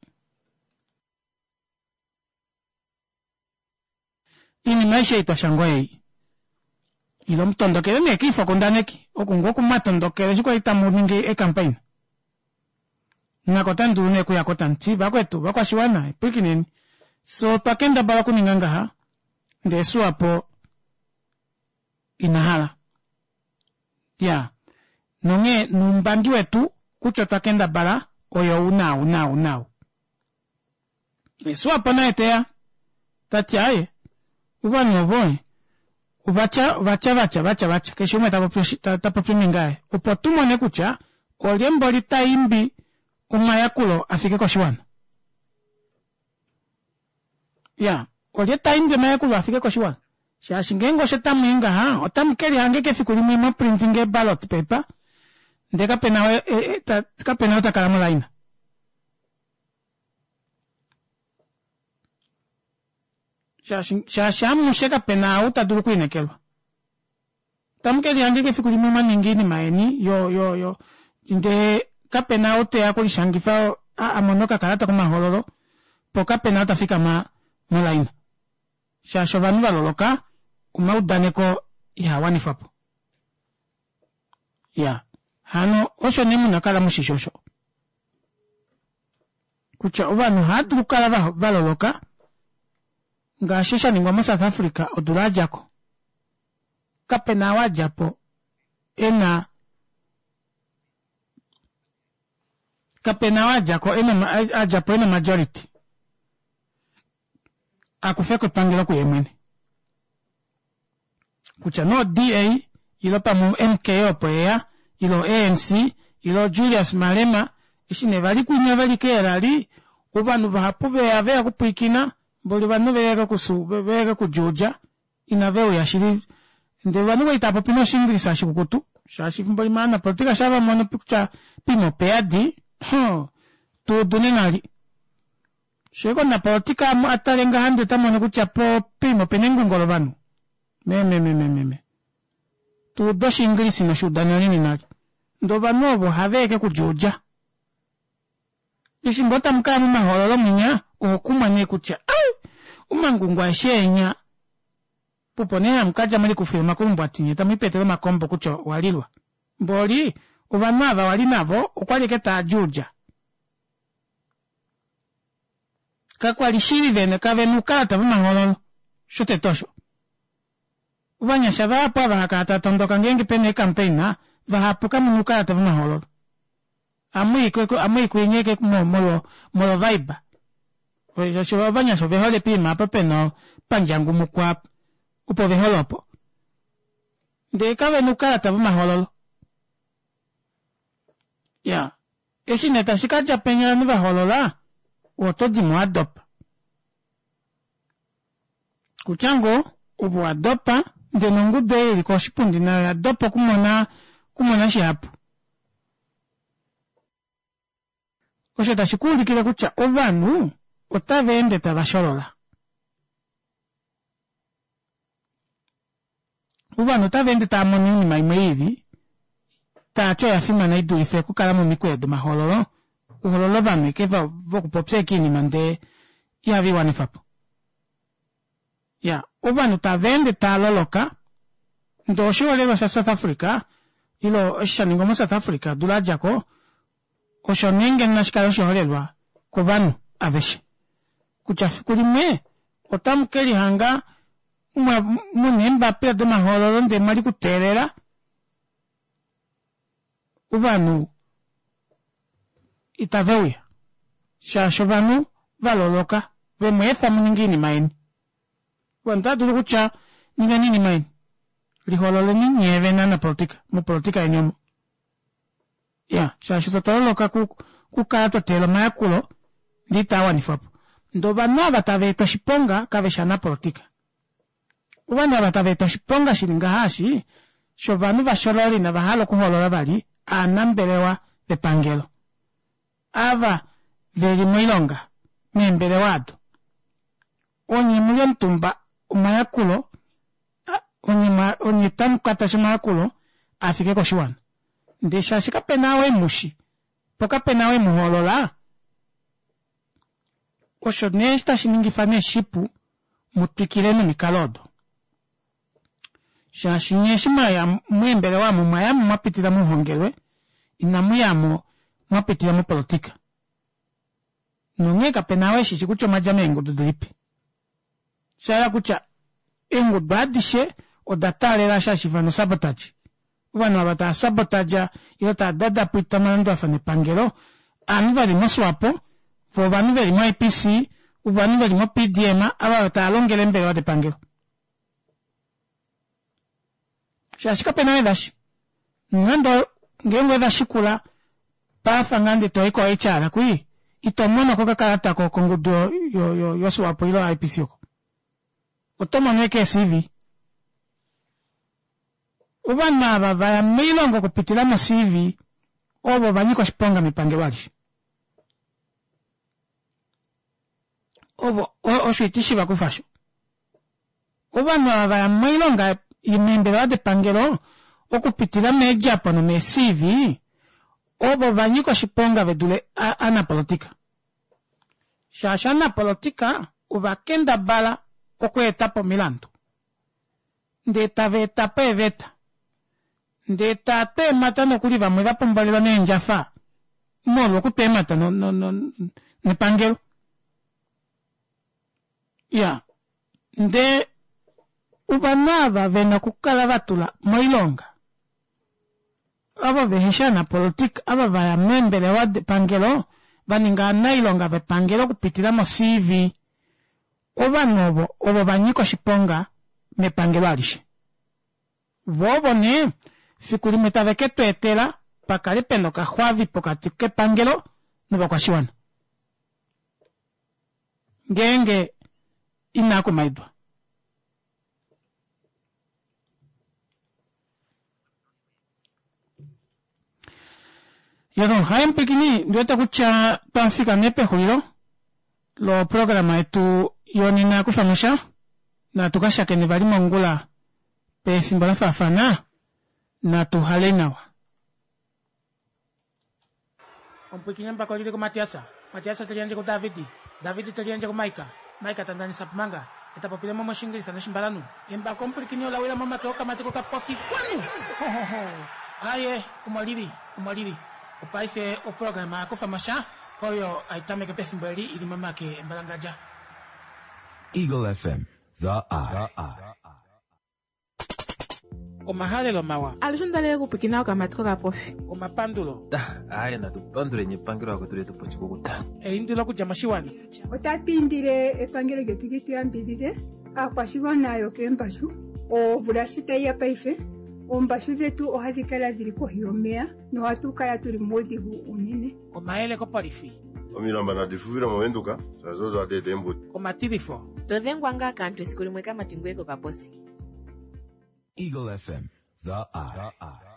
Oinima aishe ei twa shanga oyei. Ile mutondokele nee kiifokundaneki, oku ngoo oku mwa tondokele eshi kwali tamu ningi eekampaina. Nako otandi dulu nee okuya ko tamu ti, Vakwetu, vakwashiwana, pwilikineni. Fye otwa kendabala okuninga ngaha, ndele Swapo ina hala. Ya. Nonghee noumbangi wetu kutya otwa kendabala oyou naau naau naau. Swapo naye teya, ta ti, Aaye, ovanhu ovo ovatya, vatya, vatya, vatya, vatya, keshe umwe ta popi, ta popi ombinga yaye, opo tu mone kutya olye mboli ta imbi omayakulo a fike koshiwana. Ya, olye ta imbi omayakulo a fike koshiwana? Shaashi ngeenge osho tamu i ngaha, otamu ke lihange kefiku limwe mwa printinga eeballot paper, ndee kape na, e, e, kape na ou ta kala molaina. Shaashi amushe kape na ou ta dulu okulinekelwa. Otamu ke lihanga efiku limwe mwa ninga oinima yeni yo yo yo ndee kape na ou teya okulishangifa a mone okakalata komahoololo po kape na ou ta fikama molaina shaashi ovanhu va loloka omaudaneko ihaa wanifwa po. Ya. Hano osho nee muna kala mushishi osho. Kutya ovanhu ohava dulu okukala va loloka ngaashi sha ningwa moSouth Africa odula ya dja ko. Kape na ou a dja po e na kape na ou a dja ko e na a dja po e na majority a kufe ko epangelo kuye mwene. Kutya nee oDA ile pamwe oMK opo yeya ile oANC ile oJulius Malema eshi nee vali kwinya veli keelali ovanhu vahapu veya veya okupwiikina mboli ovanhu veya veya kudjuudja inave uya shili ndee ovanhu kwali tava popi noshiingilisa shikukutu shaashi efimbo limwe ovanapolitika shaa vamono kutya pima opeyadi huh, tuudu nenali Sho ashike omunapolotika a tale ngaha ndele ota mono kutya po poima opena engungo lovanhu. Memememememe. Tu uda Oshiingilisa ino shi uda nale nenale. Ndele ovanhu ovo ohava eke kudjuudja. Eshi ngoo tamu kaya momahoololo mwinya, oho kumwa nee kutya ai, omangungo aeshe enya. Pupo nee hamu ka dja mu likufile omakulumbwati nye tamu ipetele omakombo kutya owa lilwa. Mboli ovanhu ava wali navo okwali eke taa djuudja. Kakwa li shili vene kave na oukalata vomahoololo, shotete osho. Ovanyasha vahapu ava hava kala tava tondoka ngeenge pena eekampeina, vahapu kamu na oukalata vomahoololo. Amu i kuinye eke molwo vibe. Shaashi ovanyasha ove hole poima apa pena pandjangumukwa apa, opo ve hole opo. Ndee kave na oukalata vomahoololo. Ya. Eshi nee tashi ka dja penya ovanhu va hoolola, oto di mo wa dopa. Kutya ngoo ove wa dopa ndele nongudu ei ili koshipundi nayo oya dopa okumona okumona shihapu. Osho tashi ku ulikile kutya ovanhu otava ende tava sholola. Ovanhu otava ende tava mono oinima imwe i lili, tava ti oya fimana i dulife okukala momikweyo domahoololo, okuhoolola ovanhu ashike vokupopya ashike oinima ndee ihave i wanifa po. Ya, ovanhu tava ende tava loloka, ndee oshiholelwa shaSouth Africa, ile osho sha ningwa moSouth Africa odula ya dja ko, Osho nee ngeno nashi kale oshiholelwa kovanhu aveshe kutya fiku limwe otamu ke lihanga mu na eembapila domahoololo ndee mwa li kuteelela ovanhu itave uya shaashi ovanhu va loloka ve mu efa mu ninge oinima yeni. Ovanhu otava dulu kutya ningeni oinima yeni, lihoololeni nyee vene anapolitika mopolitika yeni omo. Ya, shaashi fye otwa loloka okukala twa teelela omayakulo ndee itaa wanifwa po. Ndee ovanhu ava tava eta oshiponga kave shi anapolitika. Ovanhu ava tava eta oshiponga shi li ngaha eshi shovanhu va sholola inava hala okuhoolola vali aanambelewa vepangelo. Ava ve li moilonga meembelewa ado. Onye mu li omutumba omayakulo onye onye tamu kwata omayakulo a fike koshiwana. Ndee shaashi kape na ou e mu shi, po kape na ou e mu hoolola, osho nee tashi ningifa nee shipu mu twikile nomikalo odo. Shaashi nye eshi mwa ya meembelewa omu omwa ya mo mwa pitila mouhongelwe, inamu ya mo mwa pitila mopolotika. Nonghee kape na ou e shi shi kutya omwa dja meengudu dilipi. Sha yela kutya eengudu adishe oda taalela osho hashi ifanwa sabotage. Ovanhu ava tava sabotage ile tava dadapwita omalandulafano epangelo, ovanhu ve li moSwapo, vo ovanhu ve li moIPC, ovanhu ve li moPDM, ava tava longele eembelewa depangelo. Shaashi kape na evashi. Nonande ngeenge ove va shikula pafa ngaa ndee to i ko-HR kwii, ito mono ko okakalata kongudu yoSwapo ile oIPC oko. Oto mono ashike ee-CV. Ovanhu ava va ya moilonga okupitila mo-CV ovo va nyika oshiponga mepangelo alishe. Ovo osho iti shi va kufa sho. Ovanhu ava va ya moilonga meembelewa depangelo okupitila meedjapo nomee-CV ovo va nyika oshiponga ve dule anapolitika. Shaashi anapolitika ova kendabala okweeta po omilandu ndee tava eta po eeveta. Ndee taa tu eemhata nokuli vamwe va pombolelwa neendjafa molwa okutwa eemhata no, no, no, nepangelo. Ya, ndee ovanhu ava ve na okukala va tula moilonga ovo vehe shi anapolitika ava va ya meembelewa depangelo va ninga anailonga vepangelo okupitila mo-CV ovanhu ovo ovo va nyika oshiponga mepangelo alishe. Vo ovo nee fiku limwe tave ke tu etela pa kale pena okaxwavi pokati kepangelo novakwashiwana ngeenge inaa kumaidwa. Yeno, haye mupikini, ndi wete kutya twa fika nee pexulilo loprograma yetu yonena kufa mosha. Natu ka shakene vali mongula pefimbo la faafana. Natu hale nawa. Omupwiikini embako oli li kuMatias, Matias te li yandje kuDavid, David te li yandje kuMaika, Maika ta ndanisa Pumanga, e ta popile mo mOshiingilisa nOshimbalanhu. Embako omupwilikini ola wila momake okamati kokapofi. Kwanu! Ho, ho, ho! Aaye, omo li li, omo li li. Opaife oprograma ya kufa mo sha, oyo hai tameke pefimbo eli i li momake embalangadja. Eagle FM, the eye. Omahalelo mawa. Alushe onda li okupwikina okamati kokapofi. Omapandulo. Aaye natu panduleni epangelo akwetu letu pochikukuta. Eindilo okudja moshiwana. Otatu indile epangelo lyetu li tu yambidhidhe aakwashigwana yokeembashu. Omvula shi tayi ya paife, oombashu dhetu ohadhi kala dhili kohi yomeya nohatu kala tuli muudhigu uunene. Omayele kopolifi. Omilamba nadi fuvile mOvenduka, shaashi odo hadi eta eembuto. Omatilifo. To dhengwa ngaa kaantu esiku limwe kamati ngoye kokaposi. Eagle FM, the eye.